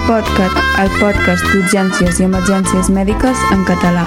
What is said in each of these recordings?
L'Encpodcast, el podcast d'urgències i emergències mèdiques en català.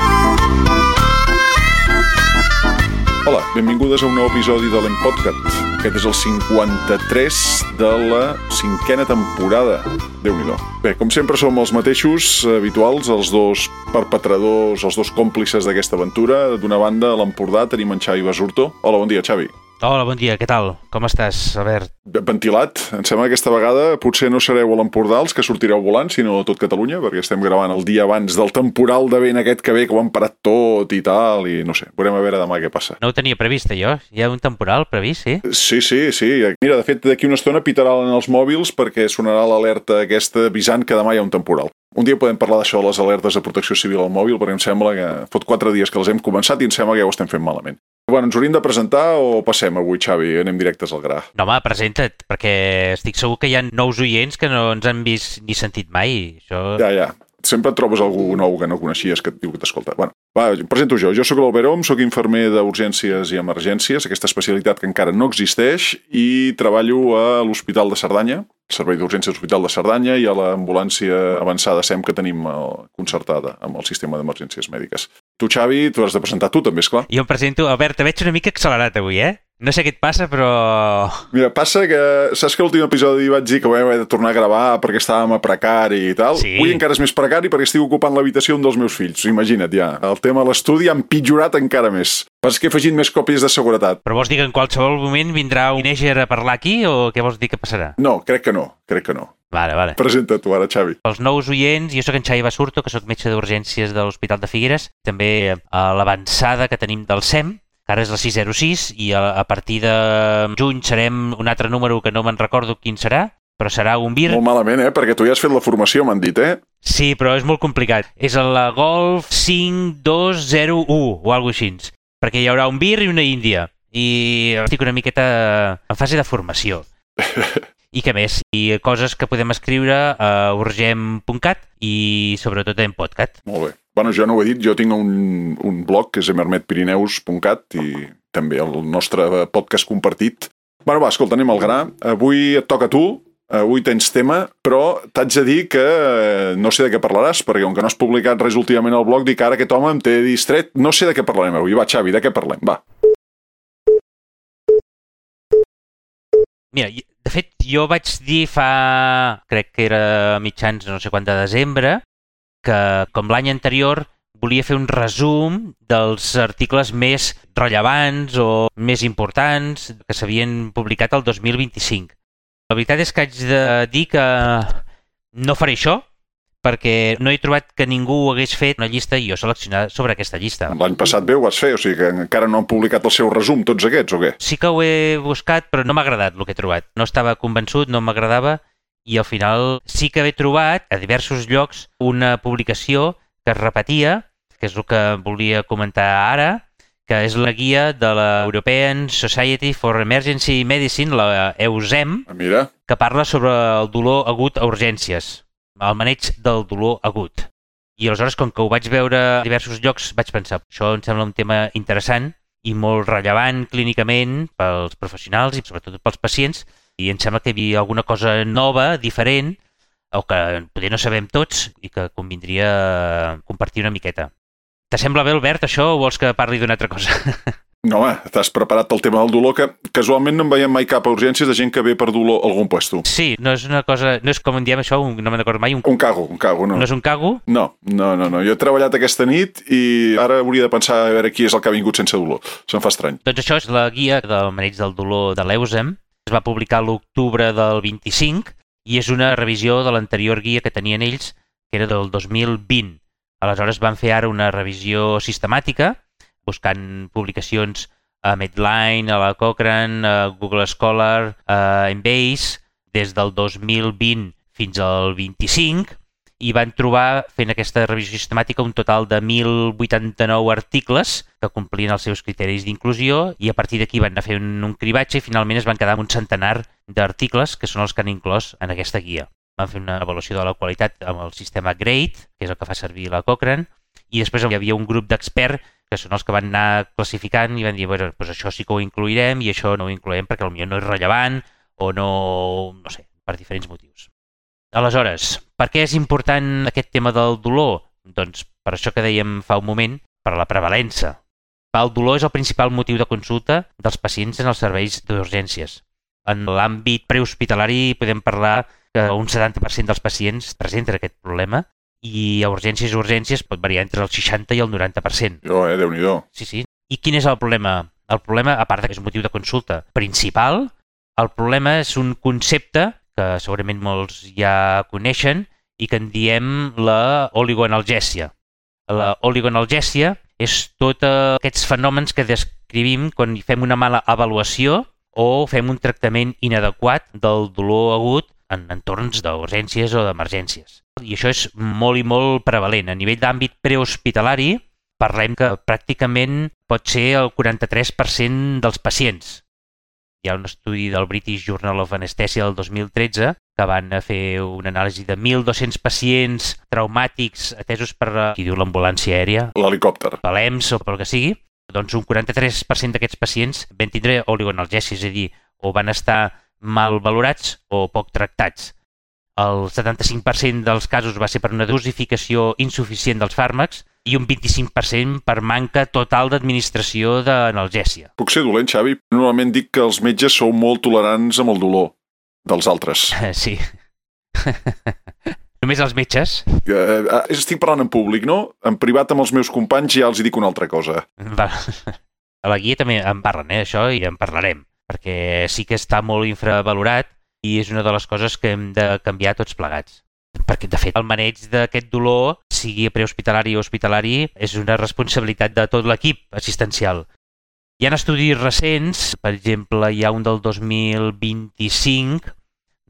Hola, benvingudes a un nou episodi de l'Encpodcast. Aquest és el 53 de la 5a temporada. Déu-n'hi-do. Bé, com sempre som els mateixos habituals, els dos perpetradors, els dos còmplices d'aquesta aventura. D'una banda, a l'Empordà, tenim en Xavi Basurto. Hola, bon dia, Xavi. Hola, bon dia, què tal? Com estàs, Albert? Ventilat. Em sembla que aquesta vegada potser no sereu a l'Empordà els que sortireu volant, sinó a tot Catalunya, perquè estem gravant el dia abans del temporal de vent aquest que ve, que ho han parat tot i tal, i no sé, veurem a veure demà què passa. No ho tenia previst, jo. Hi ha un temporal previst, sí? Sí. Mira, de fet, d'aquí una estona pitaran els mòbils perquè sonarà l'alerta aquesta avisant que demà hi ha un temporal. Un dia podem parlar d'això de les alertes de protecció civil al mòbil, perquè em sembla que fot 4 dies que les hem començat i em sembla que ja ho estem fent malament. Bueno, ens hauríem de presentar o passem avui, Xavi? Anem directes al gra. No, home, presenta't, perquè estic segur que hi ha nous oients que no ens han vist ni sentit mai. Això... Ja. Sempre et trobes algú nou que no coneixies que et diu que t'escolta. Bueno, va, em presento jo. Jo sóc l'Albert Om, sóc infermer d'urgències i emergències, aquesta especialitat que encara no existeix, i treballo a l'Hospital de Cerdanya, el Servei d'Urgències de l'Hospital de Cerdanya, i a l'ambulància avançada SEM que tenim concertada amb el sistema d'emergències mèdiques. Tu, Xavi, tu has de presentar tu també, esclar. Jo em presento. Albert, te veig una mica accelerat avui, No sé què et passa, però... Mira, passa que... Saps que l'últim episodi vaig dir que vam haver de tornar a gravar perquè estàvem a precari i tal? Sí. Avui encara és més precari perquè estic ocupant l'habitació d'un dels meus fills. Imagina't, ja. El tema de l'estudi ha empitjorat encara més. Passa que he afegit més còpies de seguretat. Però vols dir que en qualsevol moment vindrà un teenager a parlar aquí o què vols dir que passarà? No, crec que no. Vale. Presenta tu ara, Xavi. Els nous oients, jo sóc en Xavi Basurto, que sóc metge d'urgències de l'Hospital de Figueres, també a l'avançada que tenim del SEM, que ara és la 606, i a partir de juny serem un altre número que no me'n recordo quin serà, però serà un VIR. Molt malament, perquè tu ja has fet la formació, m'han dit, Sí, però és molt complicat. És la Golf 5201 o alguna cosa així, perquè hi haurà un VIR i una Índia, i estic una miqueta en fase de formació. I què més? I coses que podem escriure a urgem.cat i sobretot en podcast. Molt bé. Bueno, jo no ho he dit, jo tinc un blog que és emermetpirineus.cat i també el nostre podcast compartit. Bueno, va, escolta, anem al gra. Avui et toca a tu, avui tens tema, però t'haig de dir que no sé de què parlaràs, perquè com que no has publicat res últimament al blog, dic que ara aquest home em té distret. No sé de què parlarem avui. Va, Xavi, de què parlem? Va. Mira, de fet, jo vaig dir crec que era mitjans no sé quant de desembre, que com l'any anterior volia fer un resum dels articles més rellevants o més importants que s'havien publicat el 2025. La veritat és que haig de dir que no faré això, perquè no he trobat que ningú hagués fet una llista i jo seleccionar sobre aquesta llista. L'any passat bé ho vas fer, o sigui que encara no han publicat el seu resum, tots aquests, o què? Sí que ho he buscat, però no m'ha agradat el que he trobat. No estava convençut, no m'agradava, i al final sí que he trobat a diversos llocs una publicació que es repetia, que és el que volia comentar ara, que és la guia de la European Society for Emergency Medicine, la EUSEM, Mira. que parla sobre el dolor agut a urgències, el maneig del dolor agut. I aleshores, com que ho vaig veure a diversos llocs, vaig pensar, això em sembla un tema interessant i molt rellevant clínicament pels professionals i sobretot pels pacients, i em sembla que hi havia alguna cosa nova, diferent, o que potser no sabem tots i que convindria compartir una miqueta. T'assembla bé, Albert, això, o vols que parli d'una altra cosa? No, home, t'has preparat pel tema del dolor, que casualment no en veiem mai cap a urgències de gent que ve per dolor a algun puesto. Sí, no és una cosa, no és com en diem això, no me'n recordo mai. Un cago, no. No és un cago? No. Jo he treballat aquesta nit i ara hauria de pensar a veure qui és el que ha vingut sense dolor. Se'm fa estrany. Doncs això és la guia del maneig del dolor de l'EUSEM. Es va publicar l'octubre del 25 i és una revisió de l'anterior guia que tenien ells, que era del 2020. Aleshores van fer ara una revisió sistemàtica, buscant publicacions a Medline, a la Cochrane, a Google Scholar, a Embase, des del 2020 fins al 25, i van trobar, fent aquesta revisió sistemàtica, un total de 1.089 articles que complien els seus criteris d'inclusió, i a partir d'aquí van anar fent un cribatge i finalment es van quedar amb un centenar d'articles que són els que han inclòs en aquesta guia. Van fer una avaluació de la qualitat amb el sistema GRADE, que és el que fa servir la Cochrane, i després hi havia un grup d'experts que són els que van anar classificant i van dir, bueno, doncs això sí que ho incluirem i això no ho incloem perquè potser no és rellevant o no sé, per diferents motius. Aleshores, per què és important aquest tema del dolor? Doncs per això que dèiem fa un moment, per la prevalença. El dolor és el principal motiu de consulta dels pacients en els serveis d'urgències. En l'àmbit prehospitalari podem parlar que un 70% dels pacients presenten aquest problema i a urgències pot variar entre el 60 i el 90%. Déu-n'hi-do. Sí. I quin és el problema? El problema, a part que és un motiu de consulta principal, el problema és un concepte que segurament molts ja coneixen i que en diem la oligoanalgèsia. La oligoanalgèsia és tots aquests fenòmens que descrivim quan fem una mala avaluació o fem un tractament inadequat del dolor agut en entorns d'urgències o d'emergències. I això és molt i molt prevalent. A nivell d'àmbit prehospitalari, parlem que pràcticament pot ser el 43% dels pacients. Hi ha un estudi del British Journal of Anesthesia del 2013 que van fer una anàlisi de 1.200 pacients traumàtics atesos per qui diu l'ambulància aèria, l'helicòpter, l'EMS o pel que sigui. Doncs un 43% d'aquests pacients van tindre oligoanalgèsia, és a dir, o van estar mal valorats o poc tractats. El 75% dels casos va ser per una dosificació insuficient dels fàrmacs i un 25% per manca total d'administració d'analgèsia. Puc ser dolent, Xavi? Normalment dic que els metges sou molt tolerants amb el dolor dels altres. Sí. Només els metges? Estic parlant en públic, no? En privat amb els meus companys ja els hi dic una altra cosa. A la guia també en parlen, això, i en parlarem, perquè sí que està molt infravalorat i és una de les coses que hem de canviar tots plegats. Perquè, de fet, el maneig d'aquest dolor, sigui prehospitalari o hospitalari, és una responsabilitat de tot l'equip assistencial. Hi ha estudis recents, per exemple, hi ha un del 2025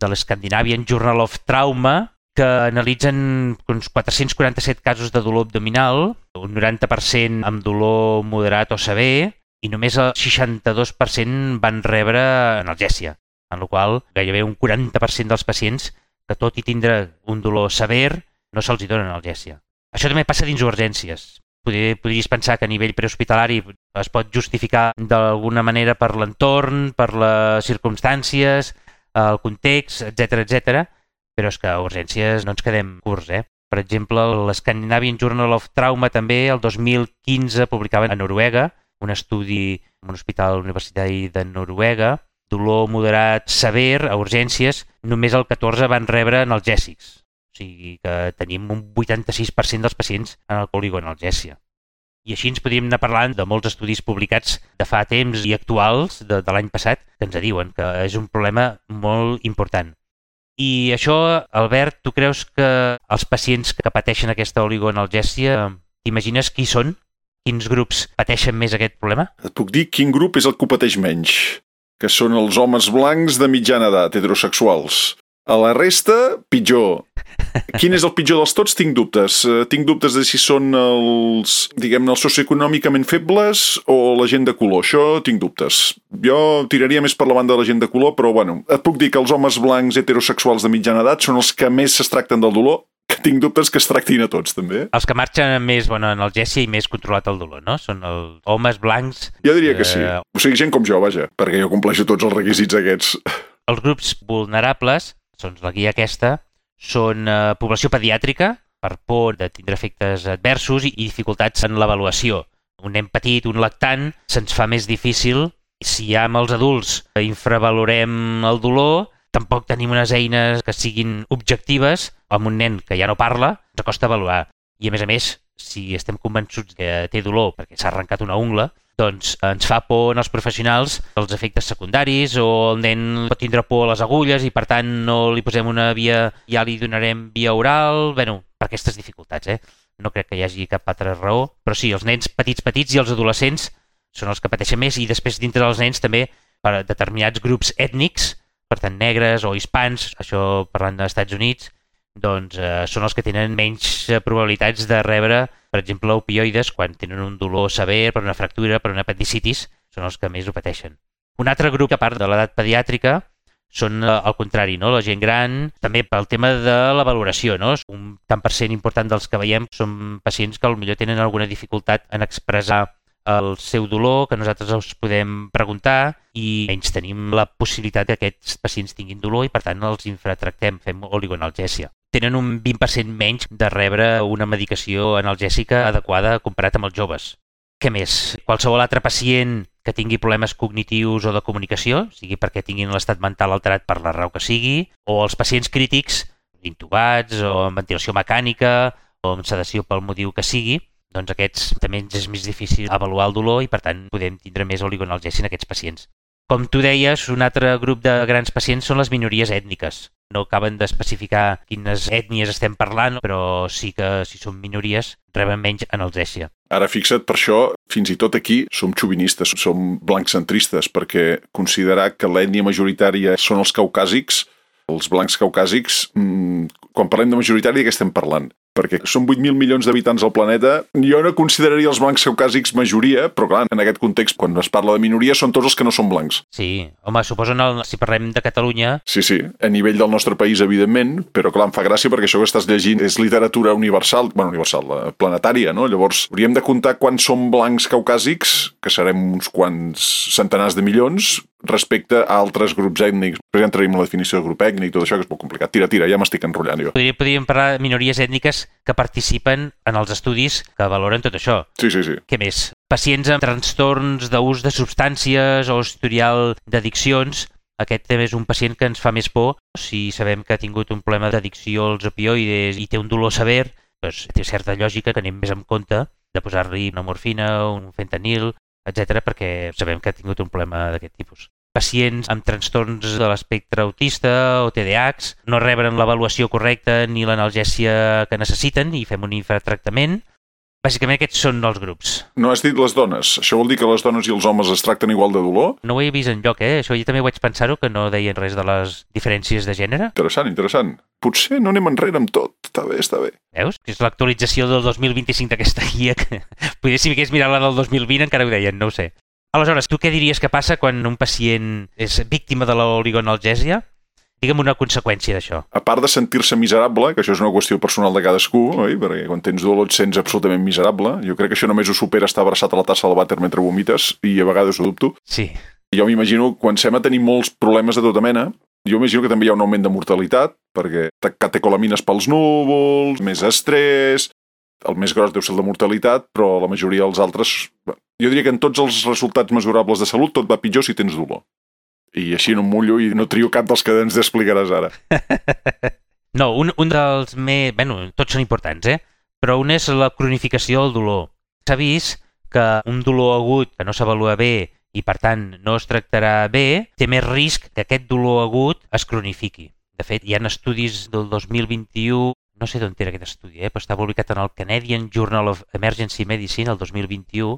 de l'Scandinavian Journal of Trauma, que analitzen uns 447 casos de dolor abdominal, un 90% amb dolor moderat o sever, i només el 62% van rebre analgèsia, en la qual gairebé un 40% dels pacients que tot i tindre un dolor sever no se'ls dona analgèsia. Això també passa dins urgències. Podries pensar que a nivell prehospitalari es pot justificar d'alguna manera per l'entorn, per les circumstàncies, el context, etc, però és que a urgències no ens quedem curts, Per exemple, l'Scandinavian Journal of Trauma també el 2015 publicava a Noruega un estudi en un hospital universitari de Noruega, dolor moderat sever a urgències, només el 14 van rebre analgèsics. O sigui que tenim un 86% dels pacients en el oligoanalgèsia. I així ens podríem anar parlant de molts estudis publicats de fa temps i actuals de l'any passat que ens diuen que és un problema molt important. I això, Albert, tu creus que els pacients que pateixen aquesta oligoanalgèsia, t'imagines qui són? Quins grups pateixen més aquest problema? Et puc dir quin grup és el que ho pateix menys, que són els homes blancs de mitjana edat, heterosexuals. A la resta, pitjor. Quin és el pitjor dels tots? Tinc dubtes. Tinc dubtes de si són els, diguem-ne, els socioeconòmicament febles o la gent de color. Això tinc dubtes. Jo tiraria més per la banda de la gent de color, però bueno, et puc dir que els homes blancs heterosexuals de mitjana edat són els que més es tracten del dolor, que tinc dubtes que es tractin a tots, també. Els que marxen amb més bona analgèsia i més controlat el dolor, no? Són els homes blancs... Jo diria que sí. O sigui, gent com jo, vaja, perquè jo compleixo tots els requisits aquests. Els grups vulnerables, doncs la guia aquesta, són població pediàtrica, per por de tindre efectes adversos i dificultats en l'avaluació. Un nen petit, un lactant, se'ns fa més difícil. Si ja amb els adults infravalorem el dolor, tampoc tenim unes eines que siguin objectives. Amb un nen que ja no parla, ens costa avaluar. I a més, si estem convençuts que té dolor perquè s'ha arrencat una ungla, doncs ens fa por als professionals els efectes secundaris o el nen pot tindre por a les agulles i per tant no li posem una via, ja li donarem via oral, per aquestes dificultats, No crec que hi hagi cap altra raó, però sí, els nens petits i els adolescents són els que pateixen més i després dintre dels nens també per determinats grups ètnics, per tant negres o hispans, això parlant dels Estats Units, doncs són els que tenen menys probabilitats de rebre, per exemple, opioides quan tenen un dolor sever per una fractura, per una apendicitis, són els que més ho pateixen. Un altre grup, a part de l'edat pediàtrica, són al contrari, no? La gent gran, també pel tema de la valoració, no? Un tant per cent important dels que veiem són pacients que potser tenen alguna dificultat en expressar el seu dolor, que nosaltres els podem preguntar i menys tenim la possibilitat que aquests pacients tinguin dolor i per tant els infratractem, fem oligoanalgèsia. Tenen un 20% menys de rebre una medicació analgèsica adequada comparat amb els joves. Què més? Qualsevol altre pacient que tingui problemes cognitius o de comunicació, sigui perquè tinguin l'estat mental alterat per la raó que sigui, o els pacients crítics, intubats o amb ventilació mecànica o amb sedació pel motiu que sigui, doncs aquests també és més difícil avaluar el dolor i per tant podem tindre més oligoanalgèsia en aquests pacients. Com tu deies, un altre grup de grans pacients són les minories ètniques. No acaben d'especificar quines ètnies estem parlant, però sí que si són minories reben menys analgèsia. Ara fixa't, per això, fins i tot aquí som xovinistes, som blancentristes, perquè considerar que l'ètnia majoritària són els caucàsics, els blancs caucàsics, quan parlem de majoritària, de què estem parlant? Perquè són 8.000 milions d'habitants al planeta. Jo no consideraria els blancs caucàsics majoria, però clar, en aquest context, quan es parla de minoria, són tots els que no són blancs. Sí, home, suposo si parlem de Catalunya... Sí, a nivell del nostre país, evidentment, però clar, em fa gràcia perquè això que estàs llegint és literatura universal, planetària, no? Llavors, hauríem de comptar quants són blancs caucàsics, que serem uns quants centenars de milions, respecte a altres grups ètnics. Per exemple, entraríem la definició de grup ètnic, tot això que és molt complicat. Tira, ja m'estic enrotllant jo. Podríem parlar de minories ètniques que participen en els estudis que valoren tot això. Sí. Què més? Pacients amb trastorns d'ús de substàncies o historial d'addiccions. Aquest també és un pacient que ens fa més por. Si sabem que ha tingut un problema d'addicció als opioides i té un dolor sever, doncs té certa lògica que anem més en compte de posar-li una morfina, un fentanil, etc., perquè sabem que ha tingut un problema d'aquest tipus. Pacients amb trastorns de l'espectre autista o TDAHs no reben l'avaluació correcta ni l'analgèsia que necessiten i fem un infratractament. Bàsicament aquests són els grups. No has dit les dones. Això vol dir que les dones i els homes es tracten igual de dolor? No ho he vist enlloc, Això jo també vaig pensar-ho, que no deien res de les diferències de gènere. Interessant. Potser no anem enrere amb tot. Està bé. Veus? Que és l'actualització del 2025 d'aquesta guia. Potser si m'hagués mirat la del 2020 encara ho deien, no ho sé. Aleshores, tu què diries que passa quan un pacient és víctima de l'oligoanalgèsia? Digue'm una conseqüència d'això. A part de sentir-se miserable, que això és una qüestió personal de cadascú, oi? Perquè quan tens dolor et sents absolutament miserable. Jo crec que això només ho supera estar abraçat a la tassa del vàter mentre vomites, i a vegades ho dubto. Sí. Jo m'imagino, quan sem a tenir molts problemes de tota mena, jo imagino que també hi ha un augment de mortalitat, perquè catecolamines pels núvols, més estrès... El més gros deu ser el de mortalitat, però la majoria dels altres... Jo diria que en tots els resultats mesurables de salut tot va pitjor si tens dolor. I així no em mullo i no trio cap dels que ens explicaràs ara. No, un dels més... tots són importants, Però un és la cronificació del dolor. S'ha vist que un dolor agut que no s'avalua bé i, per tant, no es tractarà bé, té més risc que aquest dolor agut es cronifiqui. De fet, hi ha estudis del 2021... No sé d'on era aquest estudi, però està publicat en el Canadian Journal of Emergency Medicine el 2021.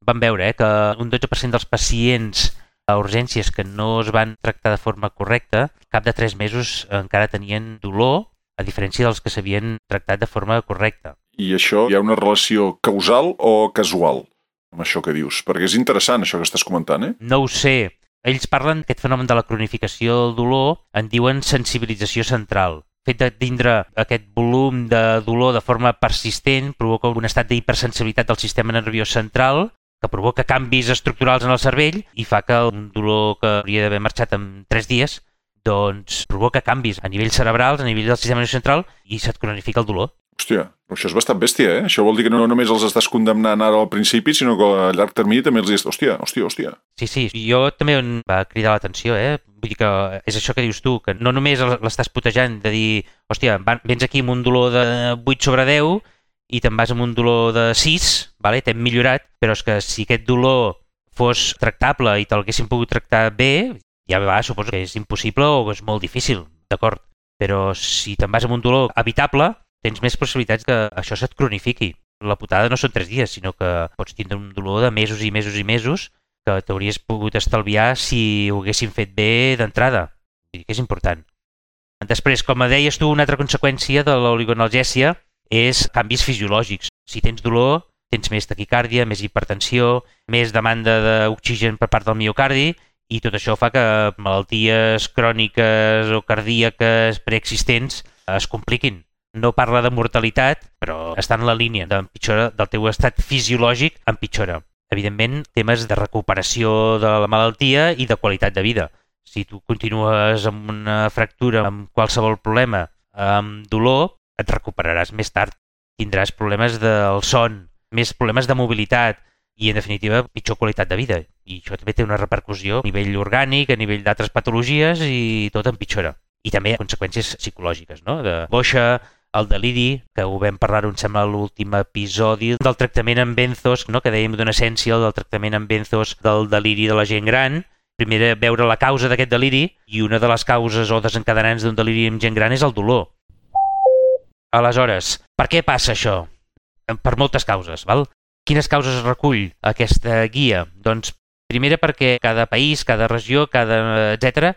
Vam veure que un 12% dels pacients a urgències que no es van tractar de forma correcta, cap de 3 mesos encara tenien dolor, a diferència dels que s'havien tractat de forma correcta. I això hi ha una relació causal o casual amb això que dius? Perquè és interessant això que estàs comentant, No ho sé. Ells parlen d'aquest fenomen de la cronificació del dolor, en diuen sensibilització central. El fet de tindre aquest volum de dolor de forma persistent provoca un estat d'hipersensibilitat del sistema nerviós central que provoca canvis estructurals en el cervell i fa que un dolor que hauria d'haver marxat en 3 dies doncs provoca canvis a nivell cerebral, a nivell del sistema nerviós central i se't cronifica el dolor. Hòstia, això és bastant bèstia, Això vol dir que no només els estàs condemnant ara al principi, sinó que a llarg termini també els dius, hòstia. Sí, jo també em va cridar l'atenció, Vull dir que és això que dius tu, que no només l'estàs putejant de dir, hòstia, vens aquí amb un dolor de 8/10 i te'n vas amb un dolor de 6, vale? T'hem millorat, però és que si aquest dolor fos tractable i te'l haguessin pogut tractar bé, ja suposo que és impossible o és molt difícil, d'acord? Però si te'n vas amb un dolor evitable, tens més possibilitats que això se't cronifiqui. La putada no són 3 dies, sinó que pots tindre un dolor de mesos i mesos i mesos que t'hauries pogut estalviar si ho haguessin fet bé d'entrada. Vull dir que és important. Després, com deies tu, una altra conseqüència de l'oligoanalgèsia és canvis fisiològics. Si tens dolor, tens més taquicàrdia, més hipertensió, més demanda d'oxigen per part del miocardi i tot això fa que malalties cròniques o cardíaques preexistents es compliquin. No parla de mortalitat, però està en la línia d'empitjora del teu estat fisiològic, empitjora. evidentment, temes de recuperació de la malaltia i de qualitat de vida. Si tu continues amb una fractura, amb qualsevol problema, amb dolor, et recuperaràs més tard. Tindràs problemes del son, més problemes de mobilitat i, en definitiva, pitjor qualitat de vida. I això també té una repercussió a nivell orgànic, a nivell d'altres patologies i tot empitjora. I també conseqüències psicològiques, no? De boixa, el deliri, que ho vam parlar, em sembla, a l'últim episodi, del tractament amb benzos, no? Que dèiem d'una essència, del tractament amb benzos del deliri de la gent gran. Primer, veure la causa d'aquest deliri, i una de les causes o desencadenants d'un deliri amb gent gran és el dolor. Aleshores, per què passa això? Per moltes causes, val? Quines causes recull aquesta guia? Doncs, primera, perquè cada país, cada regió, etc.,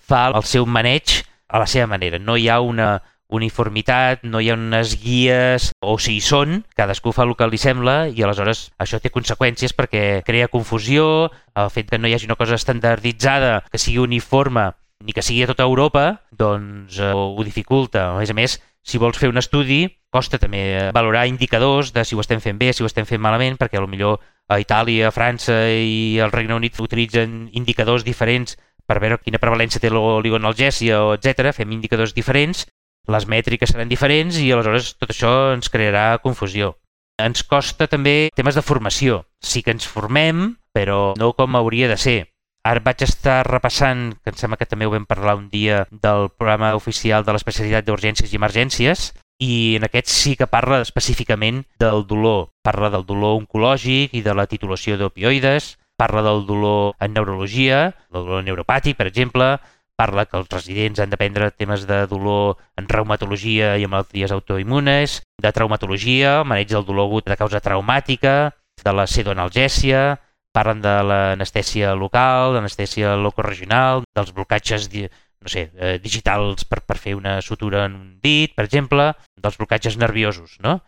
fa el seu maneig a la seva manera. No hi ha una uniformitat, no hi ha unes guies, o si hi són, cadascú fa el que li sembla i aleshores això té conseqüències perquè crea confusió, el fet que no hi hagi una cosa estandarditzada, que sigui uniforme, ni que sigui a tota Europa, doncs ho dificulta. A més, si vols fer un estudi, costa també valorar indicadors de si ho estem fent bé, si ho estem fent malament, perquè potser a Itàlia, a França i al Regne Unit utilitzen indicadors diferents per veure quina prevalència té l'oligoanalgèsia, etc. Fem indicadors diferents, les mètriques seran diferents i aleshores tot això ens crearà confusió. Ens costa també temes de formació. Sí que ens formem, però no com hauria de ser. Ara vaig estar repassant, que em sembla que també ho vam parlar un dia, del programa oficial de l'especialitat d'urgències i emergències, i en aquest sí que parla específicament del dolor. Parla del dolor oncològic i de la titulació d'opioides, parla del dolor en neurologia, del dolor neuropàtic, per exemple, parla que els residents han d'aprendre temes de dolor en reumatologia i en malalties autoimmunes, de traumatologia, maneig del dolor agut de causa traumàtica, de la pseudoanalgèsia, parlen de l'anestèsia local, l'anestèsia locoregional, dels blocatges digitals per fer una sutura en un dit, per exemple, dels blocatges nerviosos, no?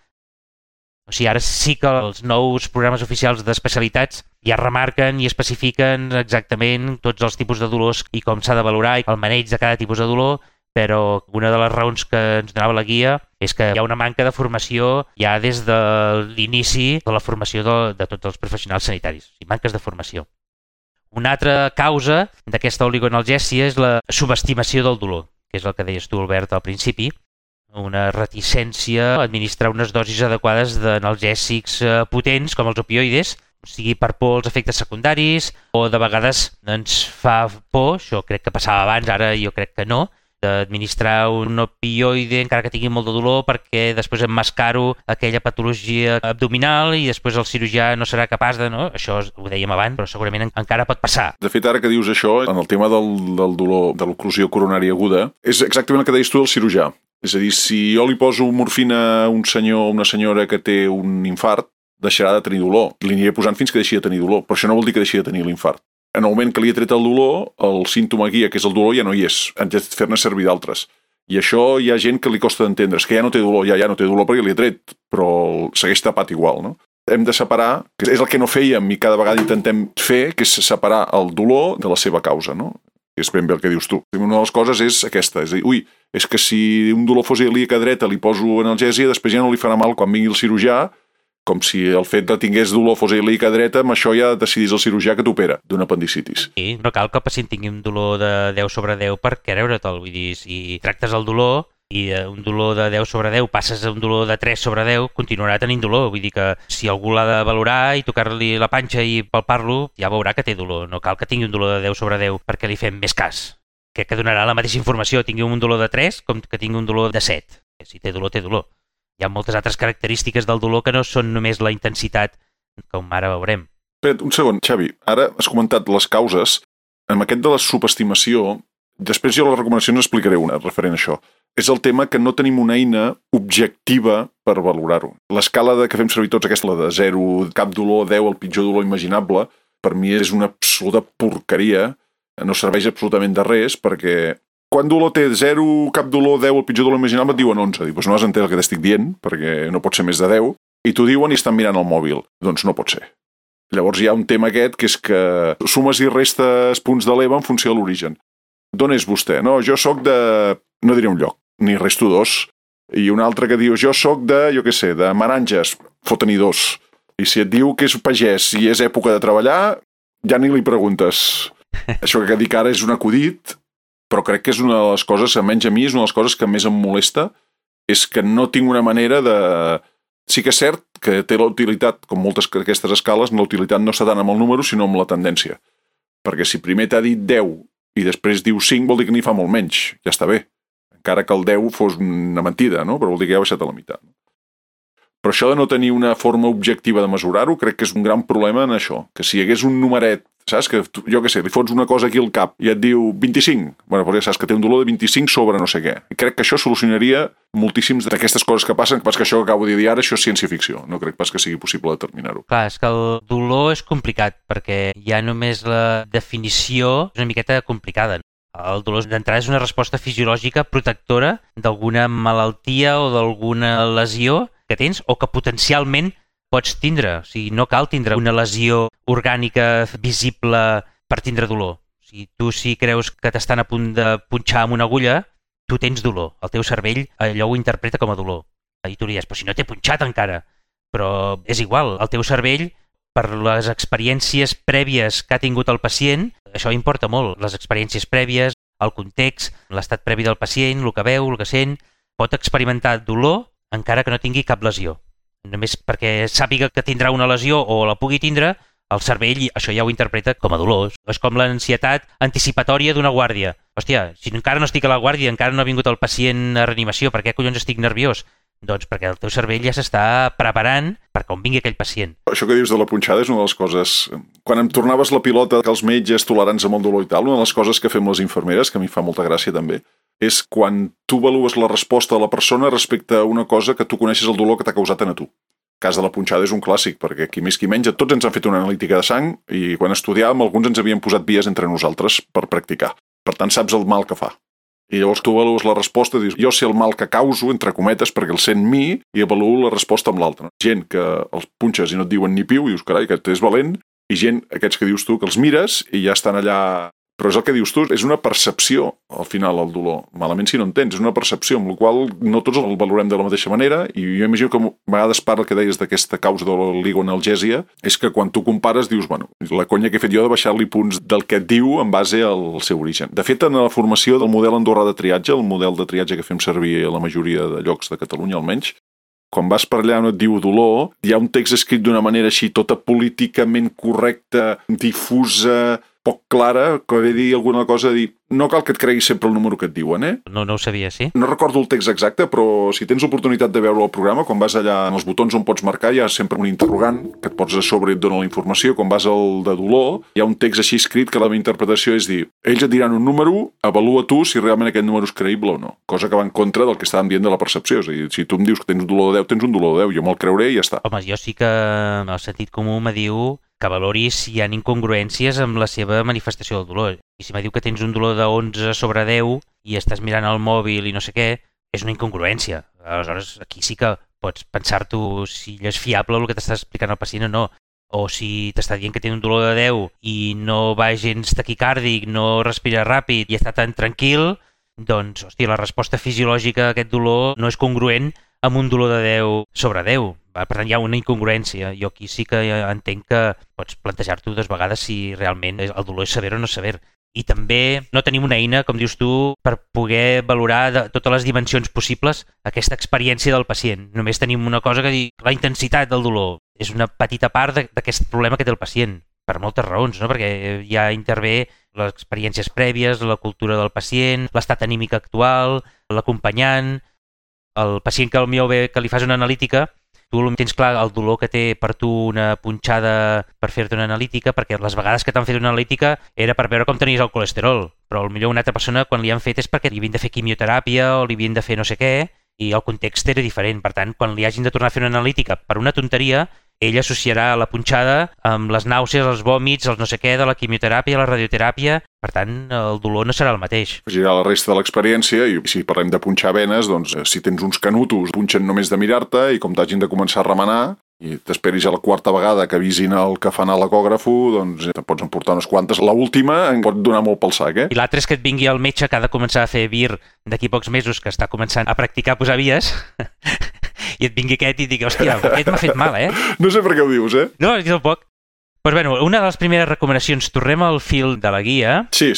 O sigui, ara sí que els nous programes oficials d'especialitats ja remarquen i especifiquen exactament tots els tipus de dolors i com s'ha de valorar i el maneig de cada tipus de dolor, però una de les raons que ens donava la guia és que hi ha una manca de formació ja des de l'inici de la formació de tots els professionals sanitaris, o sigui, manques de formació. Una altra causa d'aquesta oligoanalgèsia és la subestimació del dolor, que és el que deies tu, Albert, al principi, una reticència a administrar unes dosis adequades d'analgèsics potents com els opioides, sigui per por als efectes secundaris o de vegades ens fa por, això crec que passava abans, ara jo crec que no, d'administrar un opioide encara que tingui molt de dolor perquè després emmascaro aquella patologia abdominal i després el cirurgià no serà capaç de... No? Això ho dèiem abans, però segurament encara pot passar. De fet, ara que dius això, en el tema del dolor, de l'oclusió coronària aguda, és exactament el que deies tu del cirurgià. És a dir, si jo li poso morfina a un senyor o una senyora que té un infart, deixarà de tenir dolor. Li aniré posant fins que deixi de tenir dolor, però això no vol dir que deixi de tenir l'infart. En el moment que li he tret el dolor, el símptoma guia, que és el dolor, ja no hi és. Hem de fer-ne servir d'altres. I això hi ha gent que li costa d'entendre. És que ja no té dolor, ja no té dolor perquè li he tret, però segueix tapat igual, no? Hem de separar, que és el que no fèiem i cada vegada intentem fer, que és separar el dolor de la seva causa, no? És ben bé el que dius tu. Una de les coses és aquesta, és a dir, és que si un dolor fos ilíac a dreta li poso analgèsia, després ja no li farà mal quan vingui el cirurgià, com si el fet de tingués dolor fos ilíac a dreta, amb això ja decidís el cirurgià que t'opera d'un apendicitis. Sí, no cal que el pacient tingui un dolor de 10 sobre 10 per creure-te'l. Vull dir, si tractes el dolor i un dolor de 10 sobre 10 passes a un dolor de 3 sobre 10, continuarà tenint dolor. Vull dir que si algú l'ha de valorar i tocar-li la panxa i palpar-lo, ja veurà que té dolor. No cal que tingui un dolor de 10 sobre 10 perquè li fem més cas. Crec que donarà la mateixa informació, tingui un dolor de 3 com que tingui un dolor de 7. Si té dolor, té dolor. Hi ha moltes altres característiques del dolor que no són només la intensitat, com ara veurem. Espera't, un segon, Xavi. Ara has comentat les causes. Amb aquest de la subestimació, després jo a les recomanacions explicaré una referent a això. És el tema que no tenim una eina objectiva per valorar-ho. L'escala que fem servir tots, aquesta, la de 0, cap dolor, 10, el pitjor dolor imaginable, per mi és una absoluta porqueria. No serveix absolutament de res, perquè quan dolor té 0, cap dolor, 10, el pitjor dolor imaginable, et diuen 11. Dius, no has entès el que t'estic dient, perquè no pot ser més de 10, i t'ho diuen i estan mirant el mòbil. Doncs no pot ser. Llavors hi ha un tema aquest, que és que sumes i restes punts de l'EVA en funció de l'origen. D'on és vostè? No, jo sóc de... No diré un lloc, ni resto 2. I un altre que diu, jo sóc de, jo què sé, de Meranges, fot tenir 2. I si et diu que és pagès i és època de treballar, ja ni li preguntes. Això que dic ara és un acudit, però crec que és una de les coses, almenys a mi, és una de les coses que més em molesta, és que no tinc una manera de... Sí que és cert que té la utilitat, com moltes d'aquestes escales, la utilitat no està tant amb el número, sinó amb la tendència. Perquè si primer t'ha dit 10 i després diu 5, vol dir que n'hi fa molt menys. Ja està bé. Encara que el 10 fos una mentida, no? Però vol dir que ja ha baixat a la meitat. Però això de no tenir una forma objectiva de mesurar-ho, crec que és un gran problema en això. Que si hi hagués un numeret, saps? Que jo què sé, li fots una cosa aquí al cap i et diu 25. Bueno, però ja saps que té un dolor de 25 sobre no sé què. I crec que això solucionaria moltíssims d'aquestes coses que passen, pas que això que acabo de dir ara, això és ciència-ficció. No crec pas que sigui possible determinar-ho. Clar, és que el dolor és complicat, perquè ja només la definició és una miqueta complicada. El dolor d'entrada és una resposta fisiològica protectora d'alguna malaltia o d'alguna lesió que tens o que potencialment pots tindre. O sigui, no cal tindre una lesió orgànica visible per tindre dolor. O sigui, tu si creus que t'estan a punt de punxar amb una agulla, tu tens dolor. El teu cervell allò ho interpreta com a dolor. I tu diries, però si no t'he punxat encara. Però és igual, el teu cervell, per les experiències prèvies que ha tingut el pacient, això importa molt. Les experiències prèvies, el context, l'estat previ del pacient, el que veu, el que sent, pot experimentar dolor encara que no tingui cap lesió. Només perquè sàpiga que tindrà una lesió o la pugui tindre, el cervell això ja ho interpreta com a dolor. És com l'ansietat anticipatòria d'una guàrdia. Hòstia, si encara no estic a la guàrdia, encara no ha vingut el pacient a reanimació, per què collons estic nerviós? Doncs perquè el teu cervell ja s'està preparant per quan vingui aquell pacient. Això que dius de la punxada és una de les coses... Quan em tornaves la pilota que els metges tolerants amb el dolor i tal, una de les coses que fem les infermeres, que a mi fa molta gràcia també, és quan tu avalues la resposta de la persona respecte a una cosa que tu coneixes el dolor que t'ha causat a tu. El cas de la punxada és un clàssic, perquè qui més qui menys, tots ens han fet una analítica de sang i quan estudiàvem alguns ens havien posat vies entre nosaltres per practicar. Per tant, saps el mal que fa. I llavors tu avalues la resposta i dius, jo sé el mal que causo, entre cometes, perquè el sent mi, i avaluo la resposta amb l'altre. Gent que els punxes i no et diuen ni piu, i dius, carai, aquest és valent, i gent, aquests que dius tu, que els mires i ja estan allà... Però és el que dius tu, és una percepció, al final, el dolor. Malament si no en tens, és una percepció, amb la qual no tots el valorem de la mateixa manera, i jo imagino que a vegades parla que deies d'aquesta causa de l'oligoanalgèsia, és que quan tu compares dius, bueno, la conya que he fet jo de baixar-li punts del que et diu en base al seu origen. De fet, en la formació del model andorrà de triatge, el model de triatge que fem servir a la majoria de llocs de Catalunya, almenys, quan vas per allà on et diu dolor, hi ha un text escrit d'una manera així tota políticament correcta, difusa, poc clara, que ve dir alguna cosa de dir no cal que et creguis sempre el número que et diuen, eh? No ho sabia, sí? No recordo el text exacte, però si tens l'oportunitat de veure el programa, quan vas allà en els botons on pots marcar, hi ha sempre un interrogant que et pots a sobre i et dona la informació. Quan vas al de dolor, hi ha un text així escrit que la meva interpretació és dir, ells et diran un número, avalua tu si realment aquest número és creïble o no. Cosa que va en contra del que estàvem dient de la percepció. És a dir, si tu em dius que tens un dolor de 10, tens un dolor de 10, jo me'l creuré i ja està. Home, jo sí que el sentit comú me diu que valoris si hi ha incongruències amb la seva manifestació del dolor. I si me diu que tens un dolor de 11 sobre 10 i estàs mirant el mòbil i no sé què, és una incongruència. Aleshores, aquí sí que pots pensar-t'ho si és fiable el que t'estàs explicant al pacient o no. O si t'està dient que té un dolor de 10 i no va gens taquicàrdic, no respira ràpid i està tan tranquil, doncs, hòstia, la resposta fisiològica a aquest dolor no és congruent amb un dolor de 10 sobre 10. Per tant, hi ha una incongruència. Jo aquí sí que entenc que pots plantejar-t'ho dues vegades si realment el dolor és sever o no sever. I també no tenim una eina, com dius tu, per poder valorar de totes les dimensions possibles aquesta experiència del pacient. Només tenim una cosa que dir, la intensitat del dolor és una petita part d'aquest problema que té el pacient, per moltes raons, no? Perquè ja intervé les experiències prèvies, la cultura del pacient, l'estat anímic actual, l'acompanyant, el pacient que potser ve que li fas una analítica, tu tens clar el dolor que té per tu una punxada per fer-te una analítica, perquè les vegades que t'han fet una analítica era per veure com tenies el colesterol, però potser una altra persona quan li han fet és perquè li havien de fer quimioteràpia o li havien de fer no sé què, i el context era diferent. Per tant, quan li hagin de tornar a fer una analítica per una tonteria, ell associarà la punxada amb les nàusees, els vòmits, els no sé què de la quimioteràpia, la radioteràpia. Per tant, el dolor no serà el mateix. Afegirà la resta de l'experiència i si parlem de punxar venes, doncs si tens uns canutos, punxen només de mirar-te i com t'hagin de començar a remenar i t'esperis a la quarta vegada que avisin el que fan a l'ecògrafo, doncs te pots emportar unes quantes. L'última em pot donar molt pel sac, eh? I l'altre és que et vingui el metge que ha de començar a fer vir d'aquí pocs mesos, que està començant a practicar posar vies, i et vingui aquest i digui, hòstia, aquest m'ha fet mal, No sé per què ho dius, No, és tampoc. Pues bueno, una de les primeres recomanacions, tornem al fil de la guia. Sí.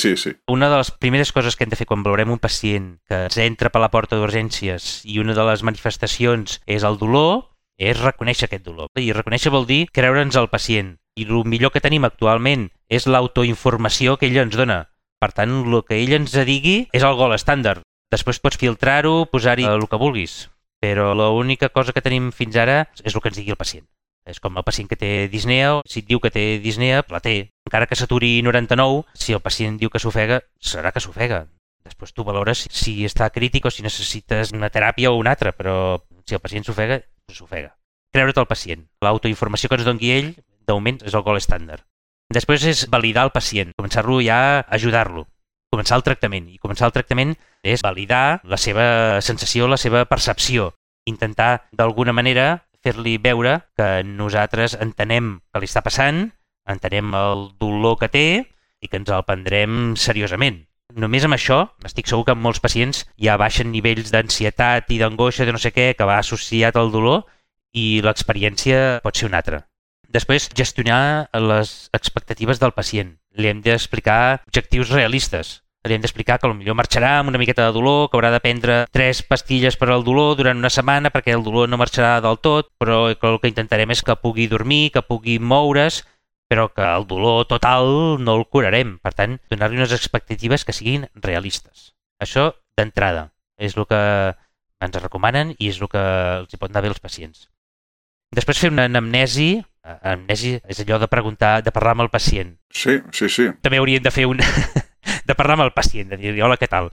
Una de les primeres coses que hem de fer quan valorem un pacient que ens entra per la porta d'urgències i una de les manifestacions és el dolor, és reconèixer aquest dolor. I reconèixer vol dir creure'ns al pacient. I el millor que tenim actualment és l'autoinformació que ell ens dona. Per tant, el que ell ens digui és el gol estàndard. Després pots filtrar-ho, posar-hi el que vulguis. Però l'única cosa que tenim fins ara és el que ens digui el pacient. És com el pacient que té disnea, si et diu que té disnea, la té. Encara que s'aturi 99, si el pacient diu que s'ofega, serà que s'ofega. Després tu valores si està crític o si necessites una teràpia o una altra, però si el pacient s'ofega, s'ofega. Creure't al pacient. L'autoinformació que ens doni ell, de moment, és el gol estàndard. Després és validar el pacient, començar-lo ja a ajudar-lo, començar el tractament. I començar el tractament és validar la seva sensació, la seva percepció, intentar d'alguna manera fer-li veure que nosaltres entenem què li està passant, entenem el dolor que té i que ens el prendrem seriosament. Només amb això, estic segur que en molts pacients ja baixen nivells d'ansietat i d'angoixa de no sé què que va associat al dolor i l'experiència pot ser una altra. Després, gestionar les expectatives del pacient. Li hem d'explicar objectius realistes. Li hem d'explicar que potser marxarà amb una miqueta de dolor, que haurà de prendre 3 pastilles per al dolor durant una setmana perquè el dolor no marxarà del tot, però el que intentarem és que pugui dormir, que pugui moure's, però que el dolor total no el curarem. Per tant, donar-li unes expectatives que siguin realistes. Això, d'entrada, és el que ens recomanen i és el que els hi pot anar bé als pacients. Després fer una anamnesi. Anamnesi és allò de preguntar, de parlar amb el pacient. Sí. També hauríem de fer de parlar amb el pacient, de dir-li, hola, què tal?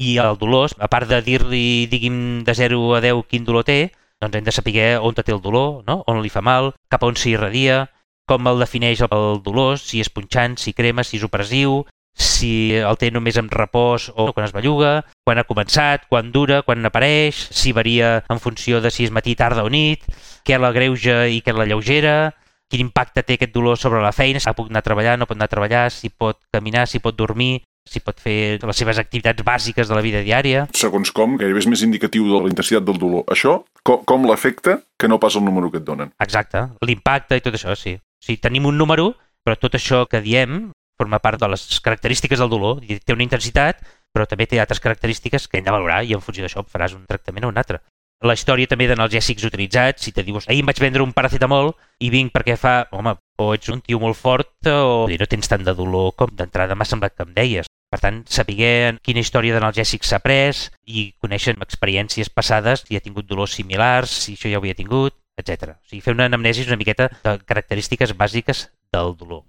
I el dolor, a part de dir-li, digui'm de 0 a 10 quin dolor té, doncs hem de saber on té el dolor, no? On li fa mal, cap on s'irradia, com el defineix el dolor, si és punxant, si crema, si és opressiu, si el té només amb repòs o quan es belluga, quan ha començat, quan dura, quan apareix, si varia en funció de si és matí, tarda o nit, què l'agreuja i què l'alleugera, quin impacte té aquest dolor sobre la feina, si pot anar a treballar, no pot anar a treballar, si pot caminar, si pot dormir, si pot fer les seves activitats bàsiques de la vida diària. Segons com, gairebé és més indicatiu de la intensitat del dolor. Això, com l'afecta, que no pas el número que et donen. Exacte, l'impacte i tot això, sí. O sigui, tenim un número, però tot això que diem forma part de les característiques del dolor. Té una intensitat, però també té altres característiques que hem de valorar i en funció d'això faràs un tractament o un altre. La història també d'analgèsics utilitzats, si te dius, ahir em vaig vendre un paracetamol i vinc perquè fa, home, o ets un tio molt fort o no tens tant de dolor com d'entrada m'ha semblat que em deies. Per tant, saber quina història d'analgèsics s'ha pres i conèixer experiències passades, si ha tingut dolors similars, si això ja ho havia tingut, etc. O sigui, fer una anamnesi una miqueta de característiques bàsiques del dolor.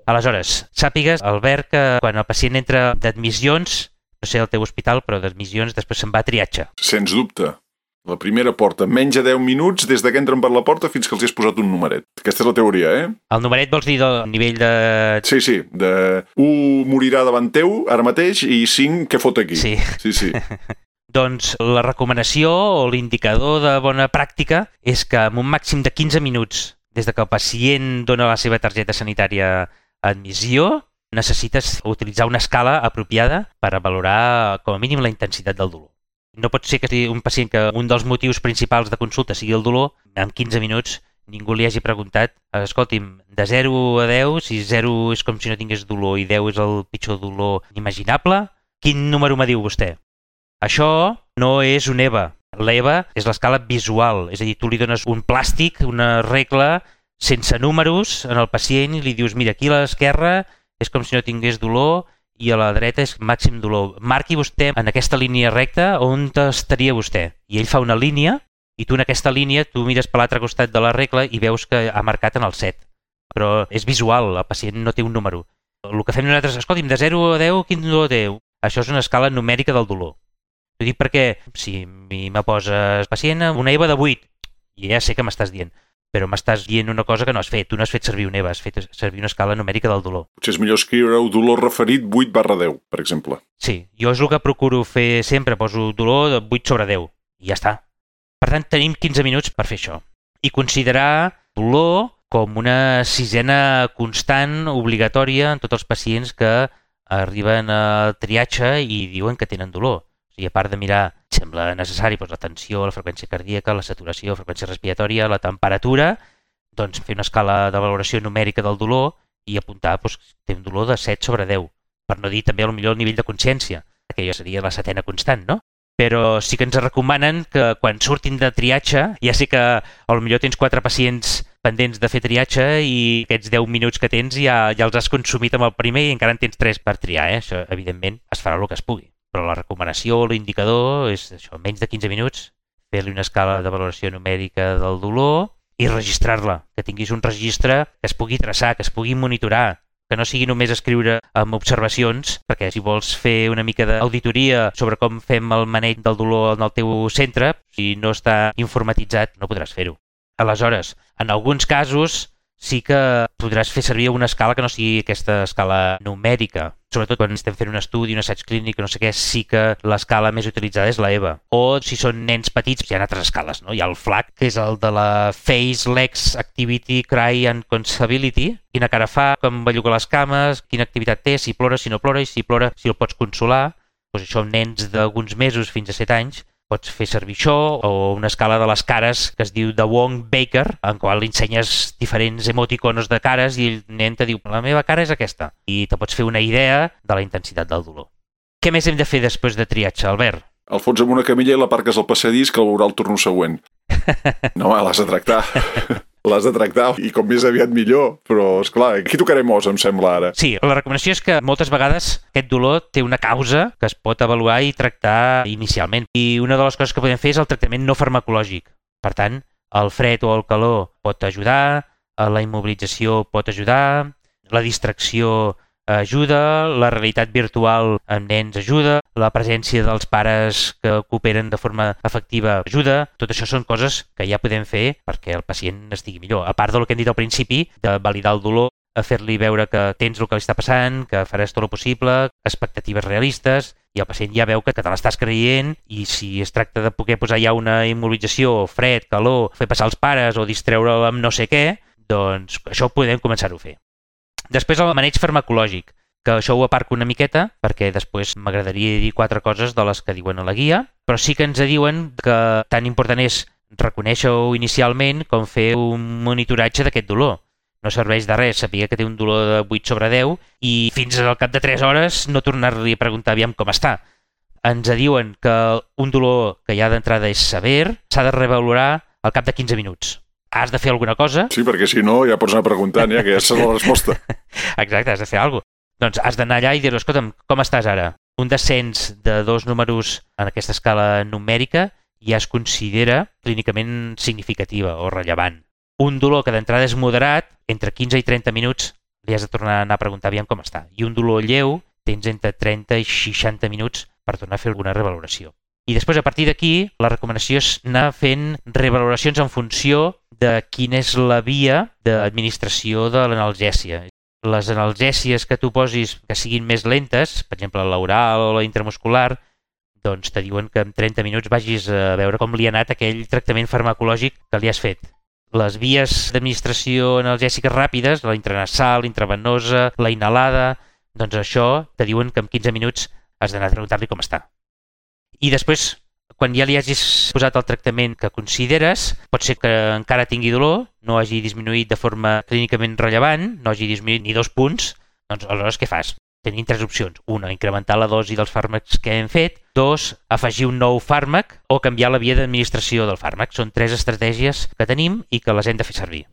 Aleshores, sàpigues, Albert, que quan el pacient entra d'admissions, no sé al teu hospital, però d'admissions després se'n va a triatge. Sens dubte. La primera porta, menys de 10 minuts des que entren per la porta fins que els hi has posat un numeret. Aquesta és la teoria, El numeret vols dir del nivell de... Sí, de 1 morirà davant teu ara mateix i 5 què fot aquí. Sí. Doncs la recomanació o l'indicador de bona pràctica és que en un màxim de 15 minuts des que el pacient dona la seva targeta sanitària a admissió, necessites utilitzar una escala apropiada per a valorar com a mínim la intensitat del dolor. No pot ser que sigui un pacient que un dels motius principals de consulta sigui el dolor, en 15 minuts ningú li hagi preguntat, escolti'm, de 0 a 10, si 0 és com si no tingués dolor i 10 és el pitjor dolor imaginable, quin número me diu vostè? Això no és un EVA. L'EVA és l'escala visual, és a dir, tu li dones un plàstic, una regla sense números en el pacient i li dius, mira, aquí a l'esquerra és com si no tingués dolor i a la dreta és màxim dolor. Marqui vostè en aquesta línia recta on estaria vostè. I ell fa una línia i tu en aquesta línia tu mires per l'altre costat de la regla i veus que ha marcat en el 7. Però és visual, el pacient no té un número. El que fem nosaltres, escolti'm, de 0 a 10, quin dolor té? Això és una escala numèrica del dolor. Ho dic perquè si me poses pacient una EVA de 8, i ja sé que m'estàs dient, però m'estàs dient una cosa que no has fet. Tu no has fet servir un EVA, has fet servir una escala numèrica del dolor. Potser és millor escriure-ho dolor referit 8/10, per exemple. Sí, jo és el que procuro fer sempre, poso dolor de 8/10 i ja està. Per tant, tenim 15 minuts per fer això. I considerar dolor com una sisena constant obligatòria en tots els pacients que arriben al triatge i diuen que tenen dolor. O sigui, a part de mirar, sembla necessari la tensió, la freqüència cardíaca, la saturació, la freqüència respiratòria, la temperatura, doncs fer una escala de valoració numèrica del dolor i apuntar que té un dolor de 7/10, per no dir també potser el nivell de consciència, que ja seria la setena constant, no? Però sí que ens recomanen que quan surtin de triatge, ja sé que potser tens 4 pacients pendents de fer triatge i aquests 10 minuts que tens ja els has consumit amb el primer i encara en tens 3 per triar. Això, evidentment, es farà el que es pugui. Però la recomanació, l'indicador, és això, menys de 15 minuts, fer-li una escala de valoració numèrica del dolor i registrar-la, que tinguis un registre que es pugui traçar, que es pugui monitorar, que no sigui només escriure amb observacions, perquè si vols fer una mica d'auditoria sobre com fem el maneig del dolor en el teu centre, si no està informatitzat, no podràs fer-ho. Aleshores, en alguns casos sí que podràs fer servir una escala que no sigui aquesta escala numèrica. Sobretot quan estem fent un estudi, un assaig clínic, no sé què, sí que l'escala més utilitzada és la EVA. O si són nens petits, hi ha altres escales, no? Hi ha el FLAC, que és el de la Face, Legs, Activity, Cry and Consability. Quina cara fa, com belluga les cames, quina activitat té, si plora, si no plora, i si plora, si el pots consolar. Doncs això, nens d'alguns mesos fins a 7 anys, pots fer servir això, o una escala de les cares que es diu de Wong-Baker, en qual li ensenyes diferents emoticonos de cares i el nen te diu, la meva cara és aquesta, i te pots fer una idea de la intensitat del dolor. Què més hem de fer després de triatge, Albert? El fots amb una camilla i l'aparques al passadís que el veurà el torno següent. No, l'has de tractar. L'has de tractar i com més aviat millor, però esclar, aquí tocarem os, em sembla ara. Sí, la recomanació és que moltes vegades aquest dolor té una causa que es pot avaluar i tractar inicialment. I una de les coses que podem fer és el tractament no farmacològic. Per tant, el fred o el calor pot ajudar, la immobilització pot ajudar, la distracció ajuda, la realitat virtual amb nens ajuda, la presència dels pares que cooperen de forma efectiva ajuda. Tot això són coses que ja podem fer perquè el pacient estigui millor. A part del que hem dit al principi, de validar el dolor, a fer-li veure que tens el que li està passant, que faràs tot el possible, expectatives realistes, i el pacient ja veu que te l'estàs creient i si es tracta de poder posar ja una immobilització, fred, calor, fer passar els pares o distreure'l amb no sé què, doncs això podem començar-ho a fer. Després el maneig farmacològic, que això ho aparco una miqueta perquè després m'agradaria dir 4 coses de les que diuen a la guia, però sí que ens diuen que tan important és reconèixer-ho inicialment com fer un monitoratge d'aquest dolor. No serveix de res saber que té un dolor de 8/10 i fins al cap de 3 hores no tornar-li a preguntar aviam com està. Ens diuen que un dolor que ja d'entrada és sever s'ha de revalorar al cap de 15 minuts. Has de fer alguna cosa. Sí, perquè si no ja pots anar preguntant, ja que ja saps la resposta. Exacte, has de fer alguna cosa. Doncs has d'anar allà i dir-li, escolta'm, com estàs ara? Un descens de 2 números en aquesta escala numèrica ja es considera clínicament significativa o rellevant. Un dolor que d'entrada és moderat, entre 15 i 30 minuts li has de tornar a anar a preguntar aviam com està. I un dolor lleu tens entre 30 i 60 minuts per tornar a fer alguna revaloració. I després, a partir d'aquí, la recomanació és anar fent revaloracions en funció de quina és la via d'administració de l'analgèsia. Les analgèsies que tu posis que siguin més lentes, per exemple l'oral o la intramuscular, doncs te diuen que en 30 minuts vagis a veure com li ha anat aquell tractament farmacològic que li has fet. Les vies d'administració analgèsiques ràpides, la intranasal, intravenosa, la inhalada, doncs això te diuen que en 15 minuts has d'anar a preguntar-li com està. I després, quan ja li hagis posat el tractament que consideres, pot ser que encara tingui dolor, no hagi disminuït de forma clínicament rellevant, no hagi disminuït ni 2 punts, doncs aleshores què fas? Tenim 3 opcions. 1, incrementar la dosi dels fàrmacs que hem fet. 2, afegir un nou fàrmac o canviar la via d'administració del fàrmac. Són 3 estratègies que tenim i que les hem de fer servir.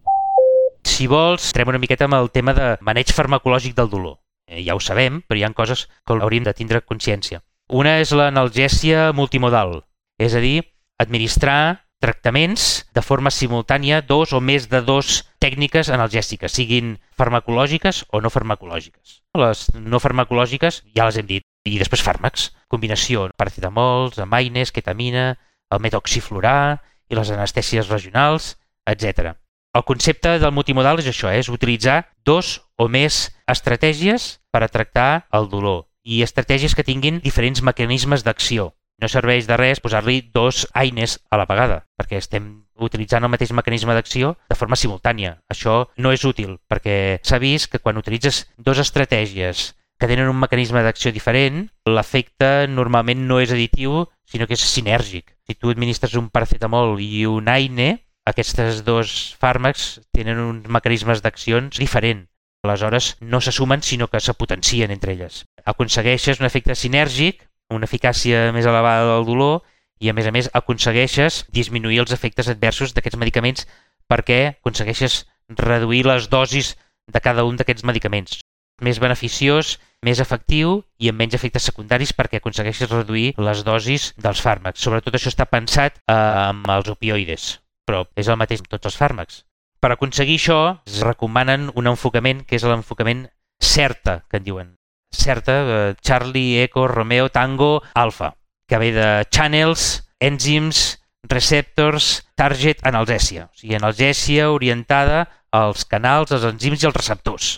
Si vols, entrem una miqueta amb el tema de maneig farmacològic del dolor. Ja ho sabem, però hi ha coses que hauríem de tindre consciència. Una és l'analgèsia multimodal, és a dir, administrar tractaments de forma simultània 2 o més de 2 tècniques analgèsiques, siguin farmacològiques o no farmacològiques. Les no farmacològiques ja les hem dit, i després fàrmacs, combinació paracetamols, amaines, ketamina, el metoxiflurà i les anestèsies regionals, etc. El concepte del multimodal és això, és utilitzar 2 o més estratègies per a tractar el dolor i estratègies que tinguin diferents mecanismes d'acció. No serveix de res posar-li 2 eines a la vegada, perquè estem utilitzant el mateix mecanisme d'acció de forma simultània. Això no és útil, perquè s'ha vist que quan utilitzes 2 estratègies que tenen un mecanisme d'acció diferent, l'efecte normalment no és additiu, sinó que és sinèrgic. Si tu administres un paracetamol i un AINE, aquests dos fàrmacs tenen uns mecanismes d'accions diferents. Aleshores, no se sumen, sinó que se potencien entre elles. Aconsegueixes un efecte sinèrgic, una eficàcia més elevada del dolor i, a més, aconsegueixes disminuir els efectes adversos d'aquests medicaments perquè aconsegueixes reduir les dosis de cada un d'aquests medicaments. Més beneficiós, més efectiu i amb menys efectes secundaris perquè aconsegueixes reduir les dosis dels fàrmacs. Sobretot això està pensat amb els opioides, però és el mateix amb tots els fàrmacs. Per aconseguir això, es recomanen un enfocament que és l'enfocament CERTA, que en diuen. CERTA, Charlie, Echo, Romeo, Tango, Alpha, que ve de Channels, Enzymes, Receptors, Target, analgèsia. O sigui, analgèsia orientada als canals, als enzims i als receptors.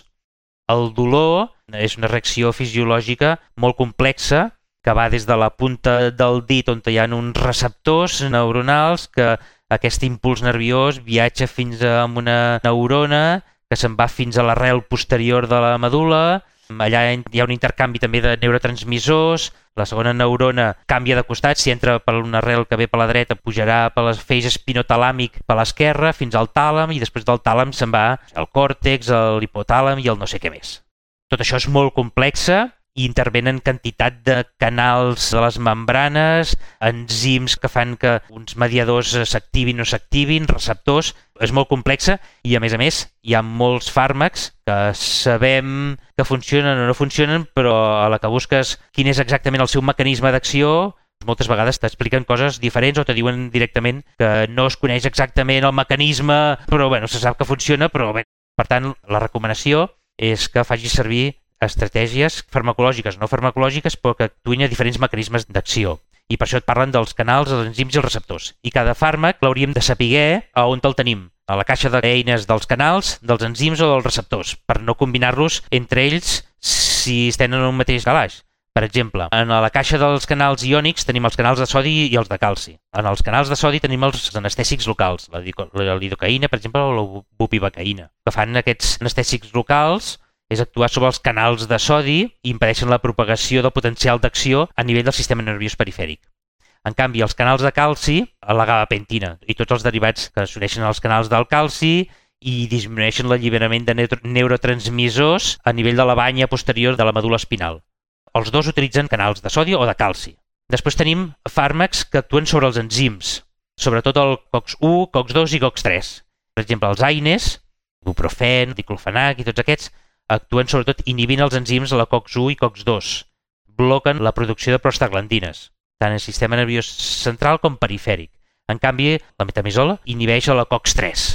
El dolor és una reacció fisiològica molt complexa que va des de la punta del dit on hi ha uns receptors neuronals que aquest impuls nerviós viatja fins a una neurona que se'n va fins a l'arrel posterior de la medul·la. Allà hi ha un intercanvi també de neurotransmissors, la segona neurona canvia de costat, si entra per una arrel que ve per la dreta pujarà per l'eix espinotalàmic per l'esquerra fins al tàlam i després del tàlam se'n va al còrtex, a l'hipotàlam i el no sé què més. Tot això és molt complexa i intervenen quantitat de canals de les membranes, enzims que fan que uns mediadors s'activin o s'activin, receptors. És molt complexa i, a més, hi ha molts fàrmacs que sabem que funcionen o no funcionen, però a la que busques quin és exactament el seu mecanisme d'acció, moltes vegades t'expliquen coses diferents o te diuen directament que no es coneix exactament el mecanisme, però se sap que funciona, però bé. Per tant, la recomanació és que facis servir estratègies farmacològiques, no farmacològiques, però que actuïn a diferents mecanismes d'acció. I per això et parlen dels canals, els enzims i els receptors. I cada fàrmac l'hauríem de saber a on el tenim, a la caixa d'eines dels canals, dels enzims o dels receptors, per no combinar-los entre ells si tenen un mateix calaix. Per exemple, en la caixa dels canals iònics tenim els canals de sodi i els de calci. En els canals de sodi tenim els anestèsics locals, la lidocaïna, per exemple, o la bupivacaïna. El que fan aquests anestèsics locals és actuar sobre els canals de sodi i impedeixen la propagació del potencial d'acció a nivell del sistema nerviós perifèric. En canvi, els canals de calci, la gabapentina i tots els derivats que s'uneixen als canals del calci i disminueixen l'alliberament de neurotransmissors a nivell de la banya posterior de la medul·la espinal. Els dos utilitzen canals de sodi o de calci. Després tenim fàrmacs que actuen sobre els enzims, sobretot el COX-1, COX-2 i COX-3. Per exemple, els AINEs, ibuprofen, diclofenac i tots aquests, actuen sobretot inhibint els enzims a la COX-1 i COX-2. Bloquen la producció de prostaglandines, tant en sistema nerviós central com perifèric. En canvi, la metamizol inhibeix a la COX-3.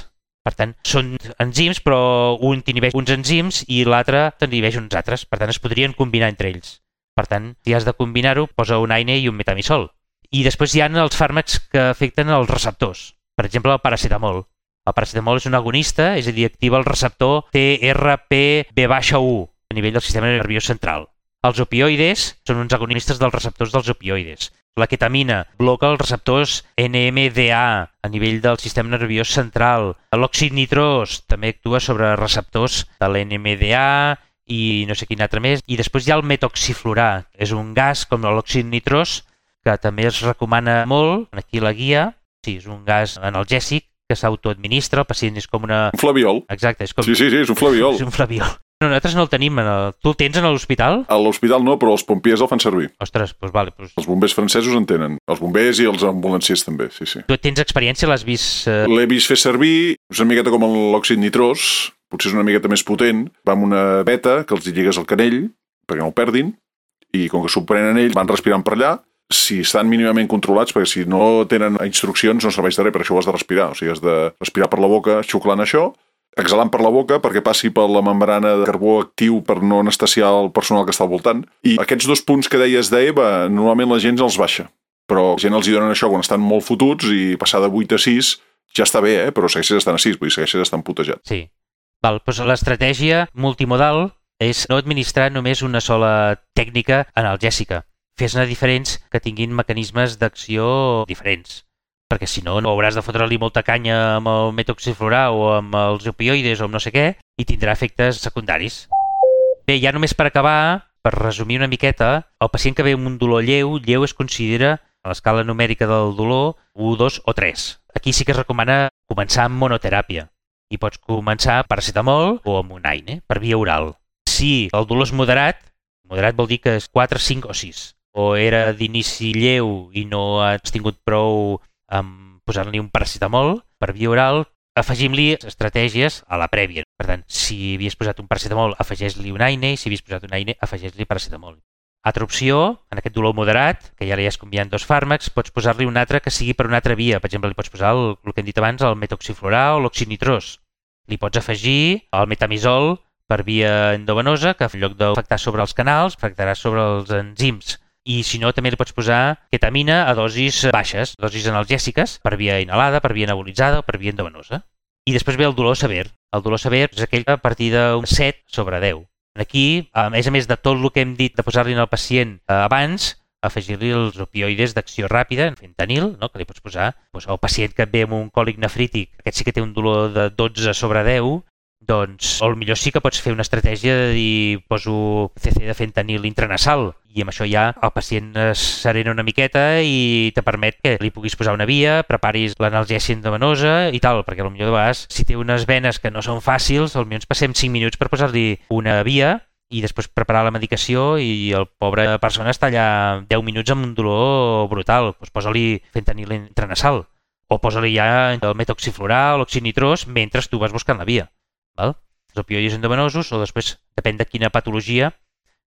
Per tant, són enzims, però un inhibeix uns enzims i l'altre inhibeix uns altres. Per tant, es podrien combinar entre ells. Per tant, si has de combinar-ho, posa un AINE i un metamizol. I després hi ha els fàrmacs que afecten els receptors. Per exemple, el paracetamol. El paracetamol és un agonista, és a dir, activa el receptor TRPV-1 a nivell del sistema nerviós central. Els opioides són uns agonistes dels receptors dels opioides. La ketamina bloca els receptors NMDA a nivell del sistema nerviós central. L'òxid nitrós també actua sobre receptors de l'NMDA i no sé quin altre més. I després hi ha el metoxiflurà. És un gas com l'òxid nitrós que també es recomana molt. Aquí la guia. Sí, és un gas analgèsic que s'autoadministra, el pacient és com una... Un flabiol. Exacte. És com... Sí, és un flabiol. És un flabiol. No, nosaltres no el tenim. Tu el tens a l'hospital? A l'hospital no, però els pompiers el fan servir. Ostres, doncs vale. Els bombers francesos en tenen. Els bombers i els ambulanciers també, sí. Tu tens experiència? L'has vist? L'he vist fer servir, és una miqueta com l'òxid nitrós, potser és una miqueta més potent. Va amb una beta que els lligues al canell perquè no el perdin i com que s'ho prenen ells van respirant per allà. Si estan mínimament controlats, perquè si no tenen instruccions no serveix de res, per això ho has de respirar. O sigui, has de respirar per la boca xuclant això, exhalant per la boca perquè passi per la membrana de carbó actiu per no anestesiar el personal que està al voltant. I aquests 2 punts que deies d'EVA, normalment la gent els baixa. Però la gent els hi donen això quan estan molt fotuts i passar de 8 a 6 ja està bé, però segueixes estant a 6, vull dir, segueixes estant putejat. Sí. Doncs l'estratègia multimodal és no administrar només una sola tècnica analgèsica. Fes-ne diferents que tinguin mecanismes d'acció diferents. Perquè si no, no hauràs de fotre-li molta canya amb el metoxiflurà o amb els opioides o amb no sé què i tindrà efectes secundaris. Bé, ja només per acabar, Per resumir una miqueta, el pacient que ve amb un dolor lleu es considera a l'escala numèrica del dolor 1, 2 o 3. Aquí sí que es recomana començar amb monoteràpia i pots començar amb paracetamol o amb un AINE per via oral. Si el dolor és moderat vol dir que és 4, 5 o 6. O era d'inici lleu i no has tingut prou amb posar-li un paracetamol per via oral, afegim-li estratègies a la prèvia. Per tant, si havies posat un paracetamol, afegeix-li un AINE, i si havies posat un AINE, afegeix-li paracetamol. Altra opció, en aquest dolor moderat, que ja li has canviat 2 fàrmacs, pots posar-li un altre que sigui per una altra via. Per exemple, li pots posar el que hem dit abans, el metoxiflorà o l'oxinitrós. Li pots afegir el metamizol per via endovenosa, que en lloc d'afectar sobre els canals, afectarà sobre els enzims. I si no, també li pots posar ketamina a dosis baixes, dosis analgèsiques, per via inhalada, per via nebulitzada o per via endovenosa. I després ve el dolor sever. El dolor sever és aquell a partir d'un 7/10. Aquí, a més de tot el que hem dit de posar-li al pacient abans, afegir-li els opioides d'acció ràpida, fentanil, no? Que li pots posar al pacient que ve amb un còlic nefrític, aquest sí que té un dolor de 12/10, doncs millor sí que pots fer una estratègia de dir poso CC de fentanil intranasal i amb això ja el pacient es serena una miqueta i te permet que li puguis posar una via, preparis l'analgèsia endovenosa i tal, perquè potser de vegades si té unes venes que no són fàcils, potser ens passem 5 minuts per posar-li una via i després preparar la medicació i el pobre persona està allà 10 minuts amb un dolor brutal, doncs posa-li fentanil intranasal o posa-li ja el metoxiflorà o l'oxinitrós mentre tu vas buscant la via. Val? Els opioides endovenosos o després, depèn de quina patologia,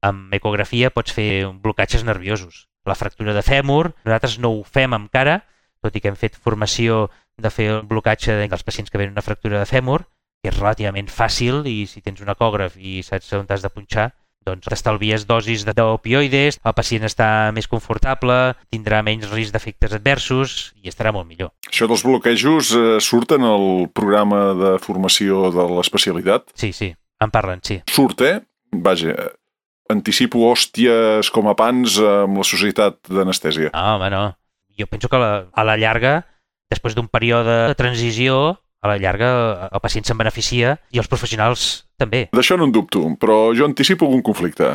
amb ecografia pots fer blocatges nerviosos. La fractura de fèmur, nosaltres no ho fem encara, tot i que hem fet formació de fer el blocatge dels pacients que venen una fractura de fèmur, que és relativament fàcil i si tens un ecògraf i saps on t'has de punxar, doncs t'estalvies dosis d'opioides, el pacient està més confortable, tindrà menys risc d'efectes adversos i estarà molt millor. Això dels bloquejos surt en el programa de formació de l'especialitat? Sí, en parlen, sí. Surt, Vaja, anticipo hòsties com a pans amb la societat d'anestèsia. No, home, no. Jo penso que a la llarga, després d'un període de transició, a la llarga el pacient se'n beneficia i els professionals també. D'això no en dubto, però jo anticipo algun conflicte.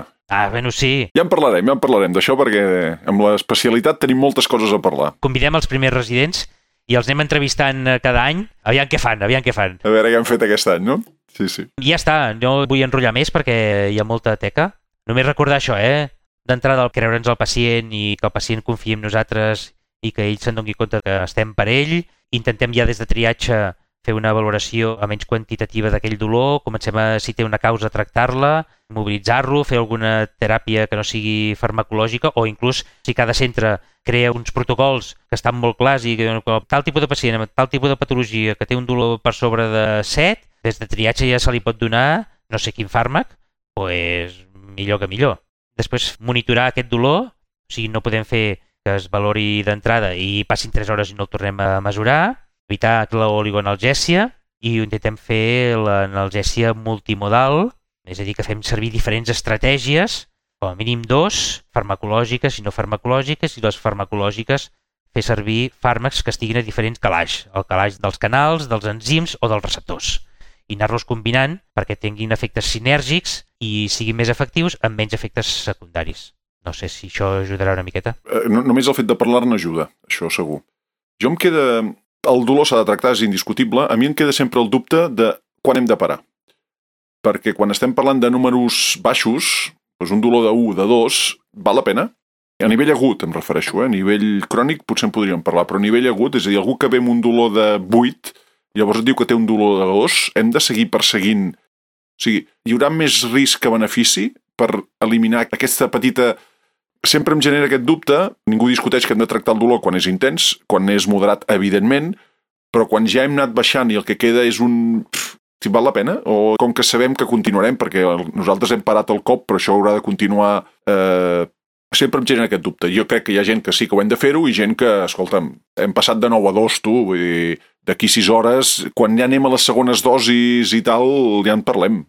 Bueno, sí. Ja en parlarem d'això perquè amb l'especialitat tenim moltes coses a parlar. Convidem els primers residents i els anem entrevistant cada any. Aviam què fan. A veure què han fet aquest any, no? Sí. I ja està, no vull enrotllar més perquè hi ha molta teca. Només recordar això, d'entrada, creure'ns al pacient i que el pacient confiï en nosaltres i que ell se'n doni compte que estem per ell. Intentem ja des de triatge fer una valoració menys quantitativa d'aquell dolor, comencem si té una causa, tractar-la, mobilitzar-lo, fer alguna teràpia que no sigui farmacològica o inclús si cada centre crea uns protocols que estan molt clars i que tal tipus de pacient amb tal tipus de patologia que té un dolor per sobre de 7, des de triatge ja se li pot donar no sé quin fàrmac, doncs millor que millor. Després monitorar aquest dolor, o sigui, no podem fer que es valori d'entrada i passin 3 hores i no el tornem a mesurar, evitar l'oligoanalgèsia i intentem fer l'analgèsia multimodal, és a dir, que fem servir diferents estratègies, com a mínim 2, farmacològiques i no farmacològiques, i les farmacològiques fer servir fàrmacs que estiguin a diferents calaix, el calaix dels canals, dels enzims o dels receptors, i anar-los combinant perquè tinguin efectes sinèrgics i siguin més efectius amb menys efectes secundaris. No sé si això ajudarà una miqueta. Només el fet de parlar-ne ajuda, això segur. Jo em queda... El dolor s'ha de tractar, és indiscutible. A mi em queda sempre el dubte de quan hem de parar. Perquè quan estem parlant de números baixos, doncs un dolor de 1, de 2, val la pena? A nivell agut em refereixo, a nivell crònic potser en podríem parlar, però a nivell agut, és a dir, algú que ve amb un dolor de 8, llavors et diu que té un dolor de 2, hem de seguir perseguint... O sigui, hi haurà més risc que benefici per eliminar aquesta petita... Sempre em genera aquest dubte, ningú discuteix que hem de tractar el dolor quan és intens, quan és moderat, evidentment, però quan ja hem anat baixant i el que queda és un... Si val la pena? O com que sabem que continuarem, perquè nosaltres hem parat el cop, però això haurà de continuar... Sempre em genera aquest dubte. Jo crec que hi ha gent que sí que ho hem de fer-ho i gent que, escolta'm, hem passat de 9 a 2, tu, vull dir, d'aquí 6 hores, quan ja anem a les segones dosis i tal, ja en parlem.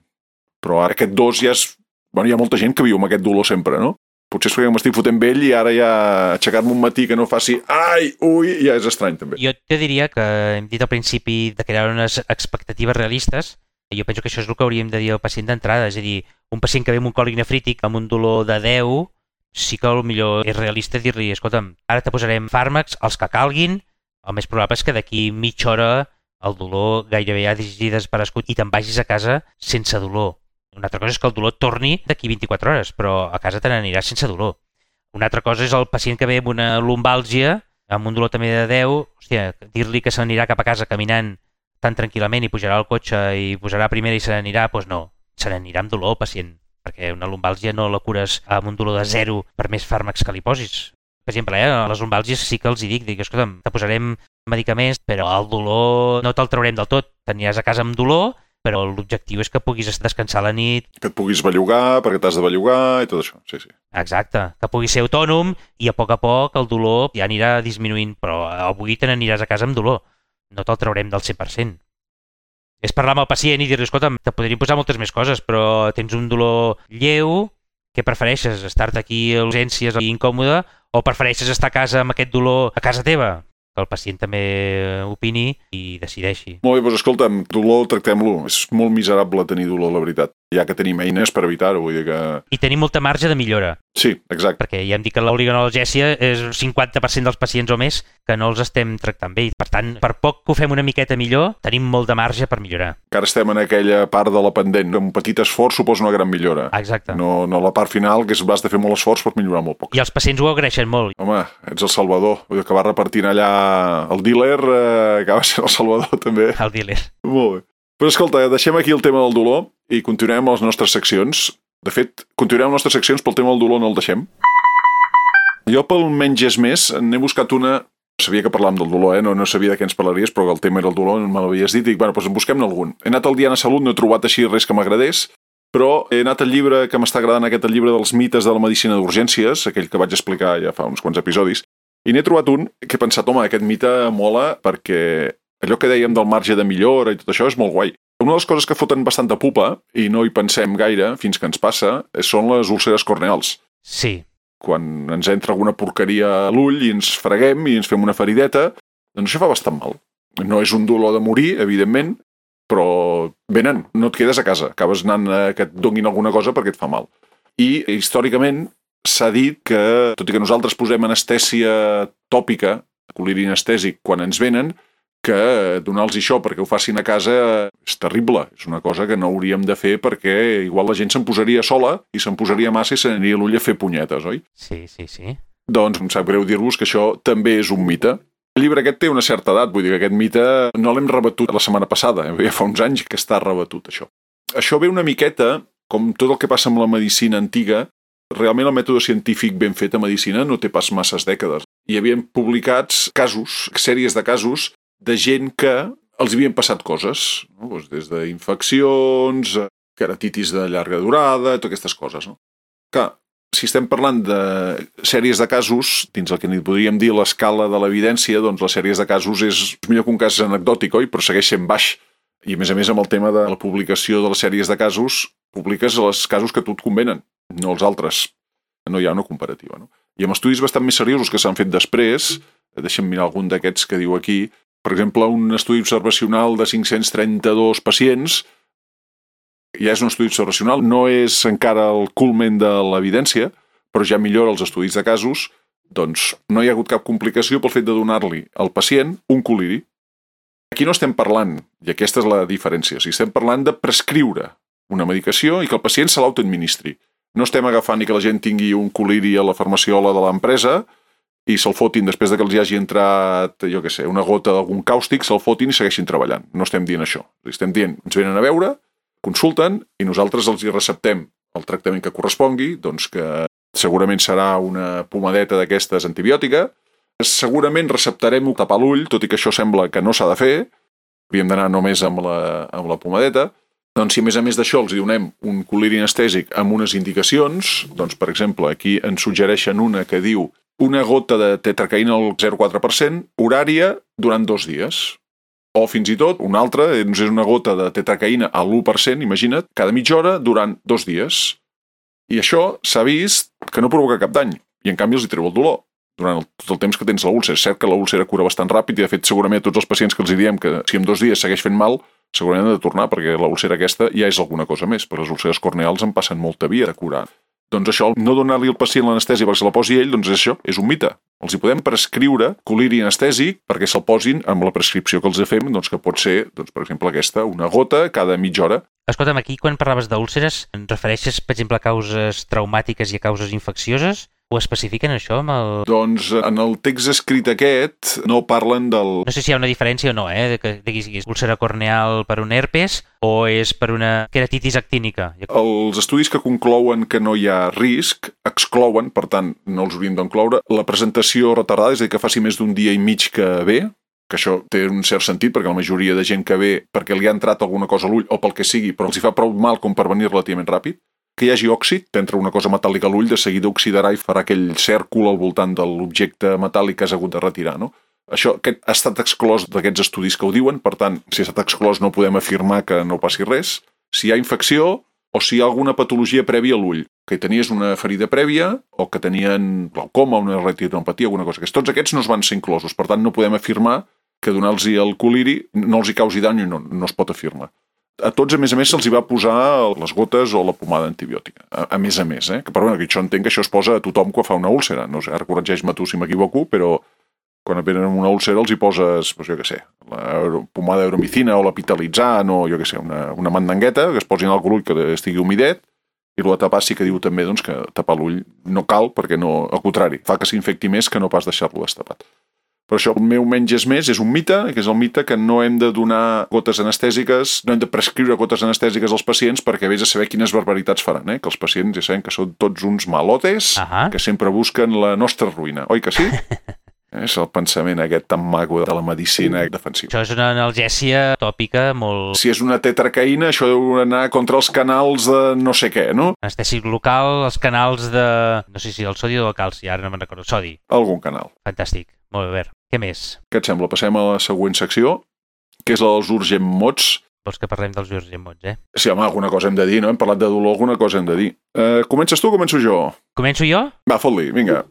Però ara aquest 2 ja és... Bueno, hi ha molta gent que viu amb aquest dolor sempre, no? Potser és perquè m'estic fotent vell i ara ja aixecar-me un matí que no faci ai, ui, ja és estrany també. Jo te diria que hem dit al principi de crear unes expectatives realistes Jo penso que això és el que hauríem de dir al pacient d'entrada, és a dir, un pacient que ve amb un còlic nefrític, amb un dolor de 10, sí que millor és realista dir-li, escolta'm, ara te posarem fàrmacs, els que calguin, el més probable és que d'aquí mitja hora el dolor gairebé ja hagi desaparegut i te'n vagis a casa sense dolor. Una altra cosa és que el dolor torni d'aquí 24 hores, però a casa te n'aniràs sense dolor. Una altra cosa és el pacient que ve amb una lumbàlgia, amb un dolor també de 10, hòstia, dir-li que se n'anirà cap a casa caminant tan tranquil·lament i pujarà al cotxe i posarà primera i se n'anirà, doncs no, se n'anirà amb dolor el pacient, perquè una lumbàlgia no la cures amb un dolor de 0 per més fàrmacs que li posis. Per exemple, a les lumbàlgies sí que els dic, escolta'm, te posarem medicaments, però el dolor no te'l traurem del tot. T'aniràs a casa amb dolor, però l'objectiu és que puguis descansar a la nit. Que et puguis bellugar, perquè t'has de bellugar i tot això, sí. Exacte, que puguis ser autònom i a poc el dolor ja anirà disminuint, però avui te n'aniràs a casa amb dolor. No te'l traurem del 100%. És parlar amb el pacient i dir-li, escolta'm, te podríem posar moltes més coses, però tens un dolor lleu, què prefereixes, estar-te aquí a urgències i incòmode, o prefereixes estar a casa amb aquest dolor a casa teva? Que el pacient també opini i decideixi. Molt bé, doncs escolta'm, dolor tractem-lo. És molt miserable tenir dolor, la veritat. Ja que tenim eines per evitar-ho, vull dir que... I tenim molta marge de millora. Sí, exacte. Perquè ja hem dit que l'oligoanalgèsia és 50% dels pacients o més que no els estem tractant bé. Per tant, per poc que ho fem una miqueta millor, tenim molt de marge per millorar. Encara estem en aquella part de la pendent. Un petit esforç suposa una gran millora. Exacte. No la part final, que has de fer molt esforç per millorar molt poc. I els pacients ho agraeixen molt. Home, ets el Salvador. Vull dir que va repartint allà el dealer, acaba sent el Salvador també. El dealer. Molt bé. Però escolta, deixem aquí el tema del dolor i continuem amb les nostres seccions. De fet, continuem amb les nostres seccions, pel tema del dolor no el deixem. Jo pel menys és més n'he buscat una... Sabia que parlàvem del dolor, no sabia de què ens parlaries, però el tema era el dolor, me l'havies dit, i dic, bueno, doncs en busquem algun. He anat al Diana Salut, no he trobat així res que m'agradés, però he anat al llibre que m'està agradant, aquest llibre dels mites de la medicina d'urgències, aquell que vaig explicar ja fa uns quants episodis, i n'he trobat un que he pensat, home, aquest mite mola perquè allò que dèiem del marge de millora i tot això és molt guai. Una de les coses que foten bastanta pupa, i no hi pensem gaire fins que ens passa, són les úlceres corneals. Sí. Quan ens entra alguna porqueria a l'ull i ens freguem i ens fem una ferideta, doncs això fa bastant mal. No és un dolor de morir, evidentment, però venen, no et quedes a casa, acabes anant a que et donin alguna cosa perquè et fa mal. I històricament s'ha dit que, tot i que nosaltres posem anestèsia tòpica, coliri anestèsic, quan ens venen, que donar-los això perquè ho facin a casa és terrible. És una cosa que no hauríem de fer perquè igual la gent se'n posaria sola i se'n posaria massa i s'aniria a l'ull a fer punyetes, oi? Sí. Doncs em sap greu dir-vos que això també és un mite. El llibre aquest té una certa edat, vull dir que aquest mite no l'hem rebatut la setmana passada, ja fa uns anys que està rebatut, això. Això ve una miqueta, com tot el que passa amb la medicina antiga, realment el mètode científic ben fet a medicina no té pas masses dècades. Hi havien publicats casos, sèries de casos, de gent que els havien passat coses, no? Doncs des d'infeccions, keratitis de llarga durada, totes aquestes coses. No? Clar, si estem parlant de sèries de casos, dins el que n'hi podríem dir l'escala de l'evidència, doncs les sèries de casos és millor que un cas anecdòtic, oi? Però segueix sent baix. I a més amb el tema de la publicació de les sèries de casos, publiques els casos que a tu et convenen, no els altres. No hi ha una comparativa. No? I amb estudis bastant més seriosos que s'han fet després, deixem mirar algun d'aquests que diu aquí, per exemple, un estudi observacional de 532 pacients, ja és un estudi observacional, no és encara el culmen de l'evidència, però ja millora els estudis de casos, doncs no hi ha hagut cap complicació pel fet de donar-li al pacient un coliri. Aquí no estem parlant, i aquesta és la diferència, si estem parlant de prescriure una medicació i que el pacient se l'autoadministri. No estem agafant ni que la gent tingui un coliri a la farmaciola de l'empresa i se'l fotin després de que els hi hagi entrat, jo què sé, una gota d'algun càustic, se'l fotin i segueixin treballant. No estem dient això. Estem dient, ens venen a veure, consulten i nosaltres els hi receptem el tractament que correspongui, doncs que segurament serà una pomadeta d'aquestes antibiòtica. Segurament receptarem tapar l'ull, tot i que això sembla que no s'ha de fer. Hauríem d'anar només amb la pomadeta. Doncs si a més d'això els donem un coliri anestèsic amb unes indicacions, doncs per exemple aquí ens suggereixen una que diu una gota de tetracaïna al 0,4%, horària durant 2 dies. O fins i tot, una altra, és una gota de tetracaïna a l'1%, imagina't, cada mitja hora durant 2 dies. I això s'ha vist que no provoca cap dany, i en canvi els hi treu el dolor durant tot el temps que tens la úlcera. És cert que la úlcera cura bastant ràpid i de fet segurament a tots els pacients que els diem que si en 2 dies segueix fent mal, segurament han de tornar, perquè la úlcera aquesta ja és alguna cosa més, però les úlceres corneals en passen molta via de curar. Doncs això, no donar-li al pacient l'anestèsia perquè se la posi ell, doncs això, és un mite. Els hi podem prescriure coliri anestèsic perquè se'l posin amb la prescripció que els fem, doncs que pot ser, doncs, per exemple, aquesta, una gota cada mitja hora. Escolta'm, aquí quan parlaves d'úlceres, et refereixes, per exemple, a causes traumàtiques i a causes infeccioses? Ho especifiquen això amb el... Doncs en el text escrit aquest no parlen del... No sé si hi ha una diferència o no, de que és úlcera corneal per un herpes o és per una queratitis actínica. Els estudis que conclouen que no hi ha risc exclouen, per tant, no els hauríem d'incloure, la presentació retardada, és a dir, que faci més d'un dia i mig que ve, que això té un cert sentit, perquè la majoria de gent que ve perquè li ha entrat alguna cosa a l'ull o pel que sigui, però els hi fa prou mal com per venir relativament ràpid, que hi hagi òxid, t'entra una cosa metàl·lica a l'ull, de seguida oxidarà i farà aquell cèrcol al voltant de l'objecte metàl·lic que has hagut de retirar, no? Això aquest ha estat exclòs d'aquests estudis que ho diuen, per tant, si ha estat exclòs no podem afirmar que no passi res. Si hi ha infecció o si hi ha alguna patologia prèvia a l'ull, que tenies una ferida prèvia o que tenien glaucoma, una retinopatia, alguna cosa. Tots aquests no es van ser inclosos, per tant no podem afirmar que donar-los el coliri no els hi causi dany i no es pot afirmar. A tots, a més, se'ls hi va posar les gotes o la pomada antibiòtica. A més, que, però bueno, que això entenc que això es posa a tothom quan fa una úlcera. No sé, ara corregeix-me tu si m'equivoco, però quan venen una úlcera els hi poses, doncs jo què sé, la pomada euromicina o la pitalitzant o jo què sé, una mandangueta que es posin al l'ull que estigui humidet i el tapar sí que diu també doncs, que tapar l'ull no cal perquè no, al contrari, fa que s'infecti més que no pas deixar-lo destapat. Però això, el meu menys és més, és un mite, que és el mite que no hem de donar gotes anestèsiques, no hem de prescriure gotes anestèsiques als pacients perquè vés a saber quines barbaritats faran, que els pacients ja sabem que són tots uns malotes que sempre busquen la nostra ruïna, oi que sí? És el pensament aquest tan maco de la medicina defensiva. Això és una analgèsia tòpica molt... Si és una tetracaïna, això deu anar contra els canals de no sé què, no? Anestèsic local, els canals de... No sé si el sodi o el calci, ara no me'n recordo. Sodi. Algun canal. Fantàstic. Molt bé, què més? Què et sembla? Passem a la següent secció, que és la dels urgent mots. Vols que parlem dels urgent mots, Sí, home, alguna cosa hem de dir, no? Hem parlat de dolor, alguna cosa hem de dir. Comences tu o començo jo? Començo jo? Va, fot-li, vinga.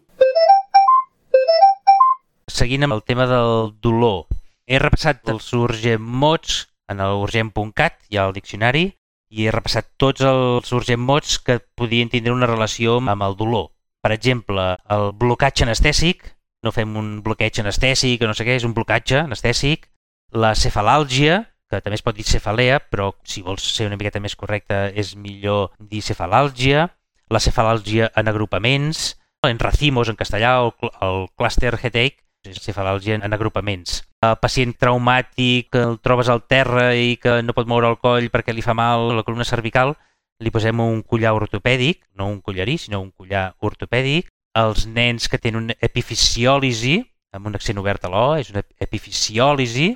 Seguint amb el tema del dolor, he repassat els urgent mots en el urgent.cat, hi ha el diccionari, i he repassat tots els urgent mots que podien tindre una relació amb el dolor. Per exemple, el blocatge anestèsic, no fem un bloqueig anestèsic o no sé què, és un blocatge anestèsic. La cefalàlgia, que també es pot dir cefalea, però si vols ser una miqueta més correcta és millor dir cefalàlgia. La cefalàlgia en agrupaments, en racimos en castellà, o el cluster headache, és cefalàlgia en agrupaments. El pacient traumàtic que el trobes al terra i que no pot moure el coll perquè li fa mal la columna cervical, li posem un collar ortopèdic, no un collarí, sinó un collar ortopèdic. Els nens que tenen una epifisiòlisi, amb un accent obert a l'O, és una epifisiòlisi.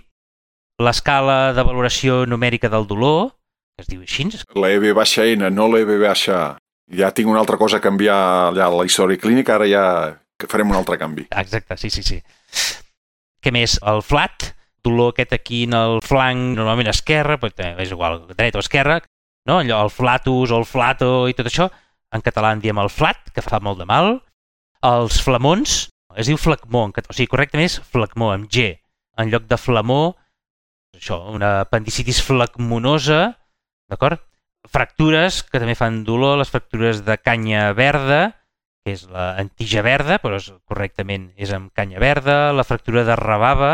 L'escala de valoració numèrica del dolor, que es diu així. La EB-N, no la EB-A. Ja tinc una altra cosa a canviar allà a la història clínica, ara ja farem un altre canvi. Exacte, sí. Què més? El flat, dolor aquest aquí en el flanc, normalment esquerre, però és igual, dreta o esquerra, no? Allò, el flatus o el flato i tot això. En català en diem el flat, que fa molt de mal. Els flamons, es diu flagmó, o sigui, correctament és flagmó, amb G. En lloc de flamó, això, una apendicitis flagmonosa, d'acord? Fractures, que també fan dolor, les fractures de canya verda, que és l'antija verda, però correctament és amb canya verda. La fractura de rabava,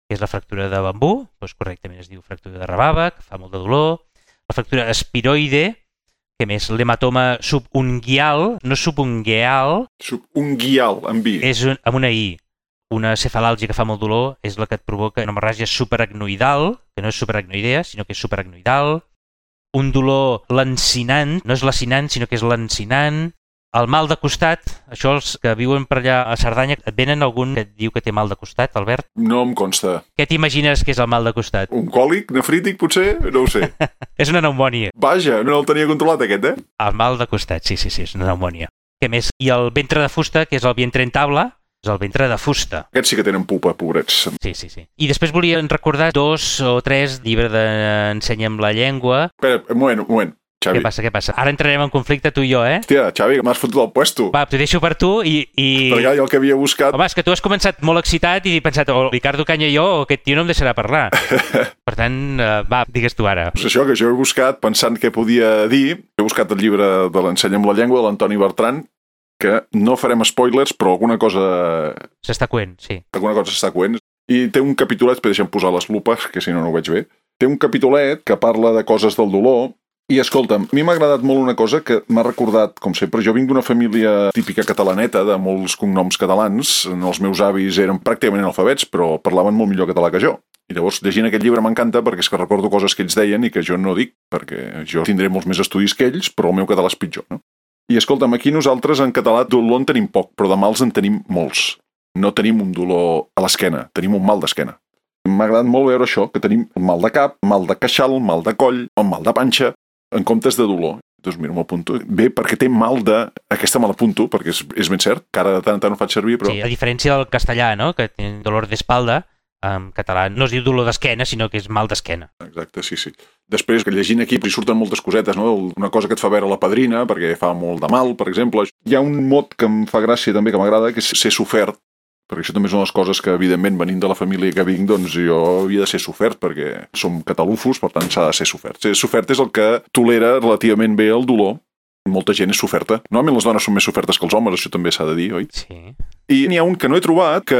que és la fractura de bambú, doncs correctament es diu fractura de rabava, que fa molt de dolor. La fractura espiroide, que més? L'hematoma subunguial, no subungueal. Subunguial, amb I. És amb una I. Una cefalàlgia que fa molt dolor és la que et provoca una hemorràgia superacnoidal, que no és superacnoidea, sinó que és superacnoidal. Un dolor lancinant, no és lacinant, sinó que és lancinant. El mal de costat, això els que viuen per allà a Cerdanya, et venen algun que et diu que té mal de costat, Albert? No em consta. Què t'imagines que és el mal de costat? Un còlic nefrític, potser? No ho sé. És una pneumònia. Vaja, no el tenia controlat aquest, El mal de costat, sí, és una pneumònia. Què més? I el ventre de fusta, que és el vientre en taula, és el ventre de fusta. Aquests sí que tenen pupa, pobrets. Sí. I després volien recordar 2 o 3 llibres d'Ensenya'm la llengua. Espera, un moment. Xavi. Què passa? Ara entrarem en conflicte tu i jo, eh? Hòstia, Xavi, m'has fotut el puesto. Va, t'ho deixo per tu i... Perquè jo el que havia buscat... Home, és que tu has començat molt excitat i he pensat, o Ricardo Canya i jo, o aquest tio no em deixarà parlar. Per tant, va, digues tu ara. És això que jo he buscat pensant què podia dir. He buscat el llibre de l'Ensenya amb la llengua de l'Antoni Bertran, que no farem spoilers, però alguna cosa... S'està coent, sí. Alguna cosa s'està coent. I té un capitolet, deixa'm posar les lupes, que si no, no ho veig bé. Té un capitolet que parla de coses del dolor. I escolta'm, a mi m'ha agradat molt una cosa que m'ha recordat, com sempre, jo vinc d'una família típica catalaneta, de molts cognoms catalans. Els meus avis eren pràcticament analfabets, però parlaven molt millor català que jo. I llavors, llegint aquest llibre m'encanta perquè és que recordo coses que ells deien i que jo no dic, perquè jo tindré molts més estudis que ells, però el meu català és pitjor, no? I escolta'm, aquí nosaltres en català dolor en tenim poc, però de mals en tenim molts. No tenim un dolor a l'esquena, tenim un mal d'esquena. M'ha agradat molt veure això, que tenim mal de cap, mal de queixal, mal de coll, o mal de panxa, en comptes de dolor. Doncs mira, m'apunto. Bé, perquè té mal de... Aquesta me l'apunto, perquè és ben cert, que ara de tant en tant ho faig servir, però... Sí, a diferència del castellà, no?, que té dolor d'espalda, en català no es diu dolor d'esquena, sinó que és mal d'esquena. Exacte, sí. Després, que llegint aquí, hi surten moltes cosetes, no? Una cosa que et fa veure la Padrina, perquè fa molt de mal, per exemple. Hi ha un mot que em fa gràcia també, que m'agrada, que és ser sofert, perquè això també és una de les coses que, evidentment, venint de la família que vinc, doncs jo havia de ser sofert, perquè som catalufos, per tant s'ha de ser sofert. Ser sofert és el que tolera relativament bé el dolor. Molta gent és soferta. Normalment les dones són més sofertes que els homes, això també s'ha de dir, oi? Sí. I n'hi ha un que no he trobat, que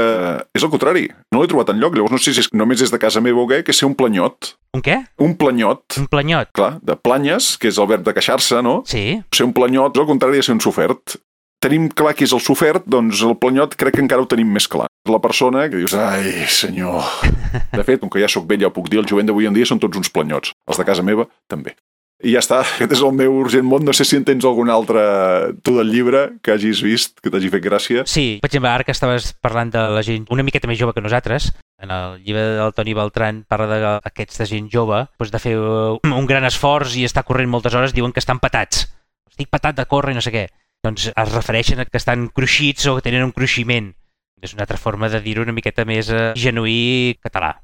és el contrari. No l'he trobat enlloc, llavors no sé si només és de casa meva o què, que és ser un planyot. Un què? Un planyot. Un planyot. Clar, de planyes, que és el verb de queixar-se, no? Sí. Ser un planyot és el contrari de ser un sofert. Tenim clar qui és el sofert, doncs el planyot crec que encara ho tenim més clar. La persona que dius, ai, senyor... De fet, com que ja sóc vell, ja ho puc dir, el jovent d'avui en dia són tots uns planyots. Els de casa meva, també. I ja està, aquest és el meu urgent món. No sé si en tens algun altre, tu del llibre, que hagis vist, que t'hagi fet gràcia. Sí, per exemple, ara que estaves parlant de la gent una miqueta més jove que nosaltres, en el llibre del Toni Beltran parla d'aquesta gent jove, doncs de fer un gran esforç i estar corrent moltes hores, diuen que estan patats. Estic patat de córrer i no sé què. Doncs es refereixen a que estan cruixits o que tenen un cruiximent. És una altra forma de dir-ho una miqueta més genuí català.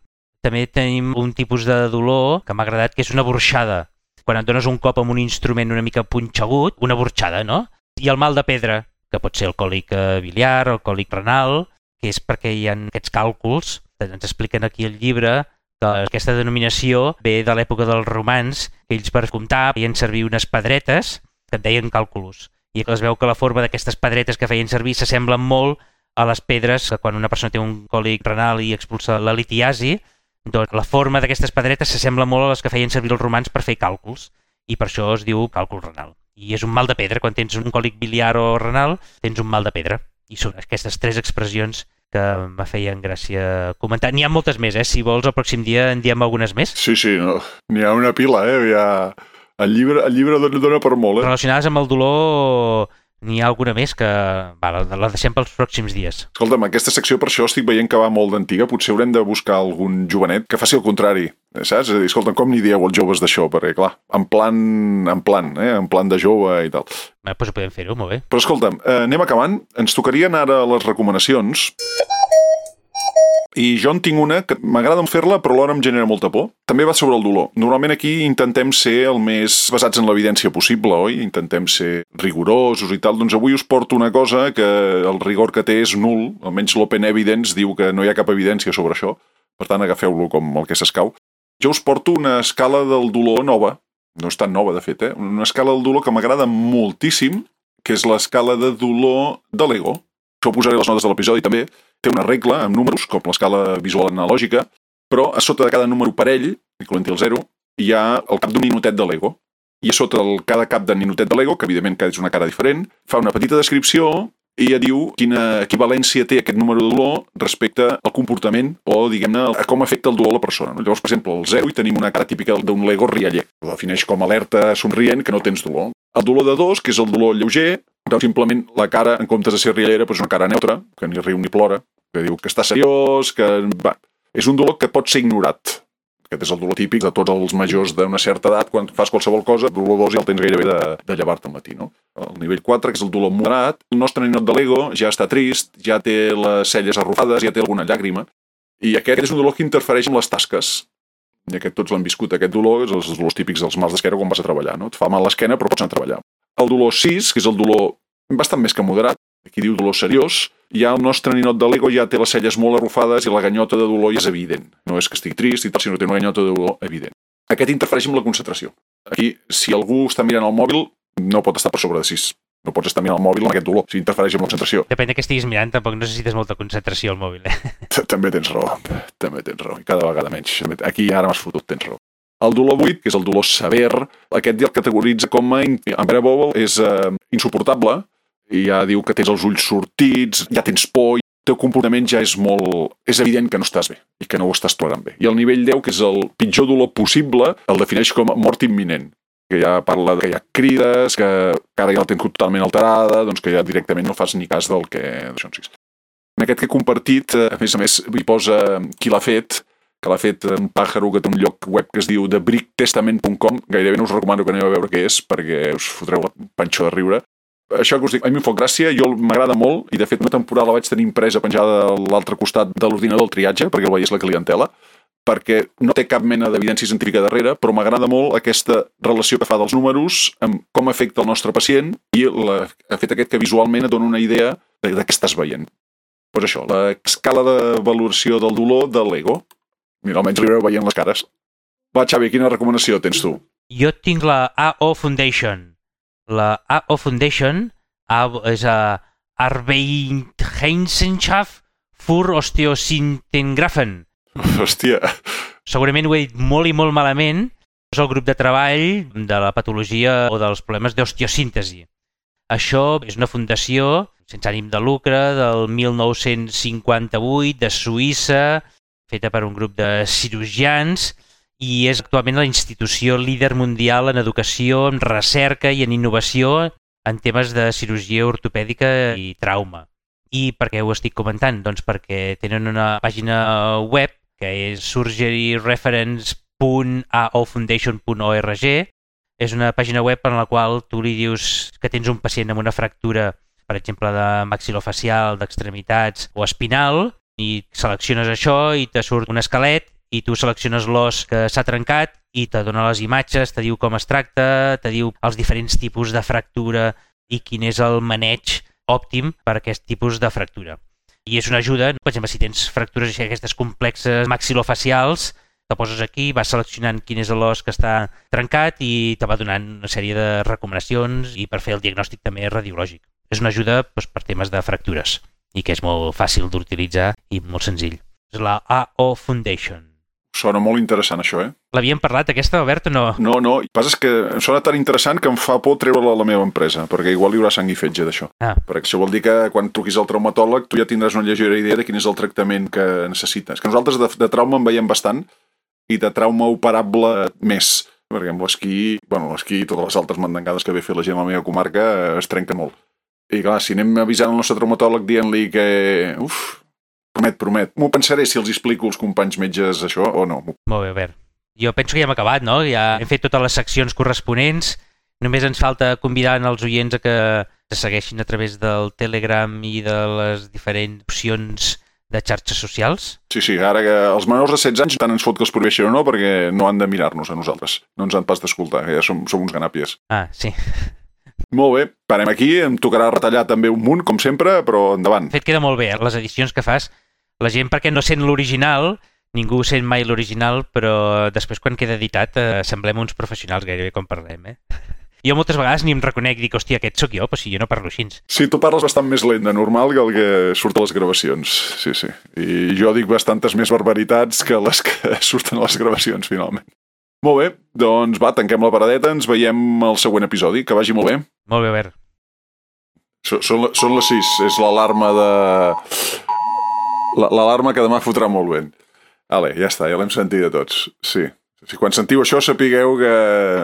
També tenim un tipus de dolor que m'ha agradat, que és una borxada. Quan et dones un cop amb un instrument una mica punxegut, una borxada, no? I el mal de pedra, que pot ser el còlic biliar, el còlic renal, que és perquè hi ha aquests càlculs. Ens expliquen aquí al llibre que aquesta denominació ve de l'època dels romans, que ells per comptar feien servir unes pedretes que et deien càlculos. I es veu que la forma d'aquestes pedretes que feien servir s'assemblen molt a les pedres que quan una persona té un còlic renal i expulsa la litiasi, doncs la forma d'aquestes pedretes s'assembla molt a les que feien servir els romans per fer càlculs, i per això es diu càlcul renal. I és un mal de pedra, quan tens un còlic biliar o renal, tens un mal de pedra. I són aquestes tres expressions que me feien gràcia comentar. N'hi ha moltes més, si vols el pròxim dia en diem algunes més. Sí, no. N'hi ha una pila, El llibre dona per molt, Relacionades amb el dolor, n'hi ha alguna més que la deixem pels pròxims dies. Escolta'm, aquesta secció per això estic veient que va molt d'antiga. Potser haurem de buscar algun jovenet que faci el contrari, saps? És a dir, escolta'm, com n'hi dieu els joves d'això? Perquè, clar, en plan de jove i tal. Doncs podem fer-ho, molt bé. Però escolta'm, anem acabant. Ens tocarien ara les recomanacions. I jo en tinc una que m'agrada fer-la, però alhora em genera molta por. També va sobre el dolor. Normalment aquí intentem ser el més basats en l'evidència possible, oi? Intentem ser rigorosos i tal. Doncs avui us porto una cosa que el rigor que té és nul. Almenys l'Open Evidence diu que no hi ha cap evidència sobre això. Per tant, agafeu-lo com el que s'escau. Jo us porto una escala del dolor nova. No és tan nova, de fet, Una escala del dolor que m'agrada moltíssim, que és l'escala de dolor de l'ego. Això ho posaré a les notes de l'episodi també. Té una regla amb números, com l'escala visual analògica, però a sota de cada número parell, incloent-hi el 0, hi ha el cap d'un ninotet de Lego. I a sota cada cap de ninotet de Lego, que evidentment cada és una cara diferent, fa una petita descripció i ja diu quina equivalència té aquest número de dolor respecte al comportament o, diguem-ne, a com afecta el dolor a la persona. Llavors, per exemple, el 0 hi tenim una cara típica d'un Lego rialler. Ho defineix com alerta somrient que no tens dolor. El dolor de 2, que és el dolor lleuger, doncs simplement la cara, en comptes de ser riallera, és una cara neutra, que ni riu ni plora, que diu que està seriós, que... És un dolor que pot ser ignorat. Aquest és el dolor típic de tots els majors d'una certa edat, quan fas qualsevol cosa, el dolor 2 ja el tens gairebé de llevar-te al matí, no? El nivell 4, que és el dolor moderat, el nostre ninot de Lego ja està trist, ja té les celles arrufades, ja té alguna llàgrima, i aquest és un dolor que interfereix amb les tasques. i aquest tots l'han viscut, aquest dolor, és els dolors típics dels mals d'esquena quan vas a treballar, no? Et fa mal l'esquena però pots anar a treballar. El dolor 6, que és el dolor bastant més que moderat, aquí diu dolor seriós, ja el nostre ninot de l'ego ja té les celles molt arrufades i la ganyota de dolor ja és evident. No és que estigui trist i tal, sinó que té una ganyota de dolor evident. Aquest interfereix amb la concentració. Aquí, si algú està mirant el mòbil, no pot estar per sobre de 6. No pots estar mirant el mòbil amb aquest dolor, si interfereix amb la concentració. Depèn de què estiguis mirant, tampoc necessites molta concentració al mòbil. També tens raó, i cada vegada menys. Aquí ara m'has fotut, tens raó. El dolor 8, que és el dolor sever, aquest ja el categoritza com a unbearable, és insuportable, i ja diu que tens els ulls sortits, ja tens por, el teu comportament ja és molt... És evident que no estàs bé i que no ho estàs tolerant bé. I el nivell 10, que és el pitjor dolor possible, el defineix com a mort imminent, que ja parla que hi ha crides, que ara ja la tens totalment alterada, doncs que ja directament no fas ni cas del que... En aquest que he compartit, a més, hi posa qui l'ha fet, que l'ha fet un pàjaro que té un lloc web que es diu thebricktestament.com, gairebé no us recomano que aneu a veure què és, perquè us fotreu la panxó de riure. Això que us dic, a mi em fa gràcia, m'agrada molt, i de fet una temporada la vaig tenir impresa penjada a l'altre costat de l'ordinador del triatge, perquè el veiés la clientela, perquè no té cap mena d'evidència científica darrere, però m'agrada molt aquesta relació que fa dels números amb com afecta el nostre pacient i ha fet aquest que visualment et dona una idea de què estàs veient. Doncs això, l'escala de valoració del dolor de l'ego. Mira, almenys li veureu veient les cares. Va, Xavi, quina recomanació tens tu? Jo tinc la AO Foundation. La AO Foundation és a Arbeitsgemeinschaft für Osteosintengrafen. Hòstia. Segurament ho he dit molt i molt malament. És el grup de treball de la patologia o dels problemes d'osteosíntesi. Això és una fundació sense ànim de lucre del 1958 de Suïssa, feta per un grup de cirurgians, i és actualment la institució líder mundial en educació, en recerca i en innovació en temes de cirurgia ortopèdica i trauma. I per què ho estic comentant? Doncs perquè tenen una pàgina web que és surgeryreference.aofoundation.org. És una pàgina web en la qual tu li dius que tens un pacient amb una fractura, per exemple, de maxilofacial, d'extremitats o espinal, i selecciones això i te surt un esquelet i tu selecciones l'os que s'ha trencat i te dona les imatges, te diu com es tracta, te diu els diferents tipus de fractura i quin és el maneig òptim per a aquest tipus de fractura. I és una ajuda, per exemple, si tens fractures aquestes complexes maxilofacials, te poses aquí, vas seleccionant quin és l'os que està trencat i te va donant una sèrie de recomanacions i per fer el diagnòstic també radiològic. És una ajuda per temes de fractures i que és molt fàcil d'utilitzar i molt senzill. És la AO Foundation. Sona molt interessant, això, L'havíem parlat, aquesta, Albert, o no? No, el que passa és que em sona tan interessant que em fa por treure-la a la meva empresa, perquè igual hi haurà sang i fetge d'això. Perquè això vol dir que quan truquis al traumatòleg tu ja tindràs una lleugera idea de quin és el tractament que necessites. Que nosaltres de trauma en veiem bastant i de trauma operable més, perquè amb l'esquí, l'esquí i totes les altres mandangades que ve fer la gent a la meva comarca es trenca molt. I clar, si anem avisant el nostre traumatòleg dient-li que... Promet. M'ho pensaré si els explico als companys metges això o no. Molt bé, Albert. Jo penso que ja hem acabat, no? Ja hem fet totes les seccions corresponents. Només ens falta convidar els oients a que se segueixin a través del Telegram i de les diferents opcions de xarxes socials. Sí, ara que els menors de 16 anys tant ens fot que els prohibeixin o no, perquè no han de mirar-nos a nosaltres. No ens han pas d'escoltar, que ja som uns ganàpies. Sí. Molt bé, parem aquí. Em tocarà retallar també un munt, com sempre, però endavant. De fet, queda molt bé, les edicions que fas. La gent, perquè no sent l'original, ningú sent mai l'original, però després quan queda editat semblem uns professionals gairebé quan parlem, Jo moltes vegades ni em reconec, dic, hòstia, aquest sóc jo, però si jo no parlo així. Sí, tu parles bastant més lent de normal que el que surt a les gravacions, sí. I jo dic bastantes més barbaritats que les que surten a les gravacions, finalment. Molt bé, doncs va, tanquem la paradeta, ens veiem al següent episodi, que vagi molt bé. Molt bé, Albert. Són les 6, és l'alarma de... L'alarma que demà fotrà molt vent. Vale, ja està, ja l'hem sentit de tots. Sí. Quan sentiu això sapigueu que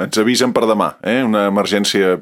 ens avisen per demà, Una emergència...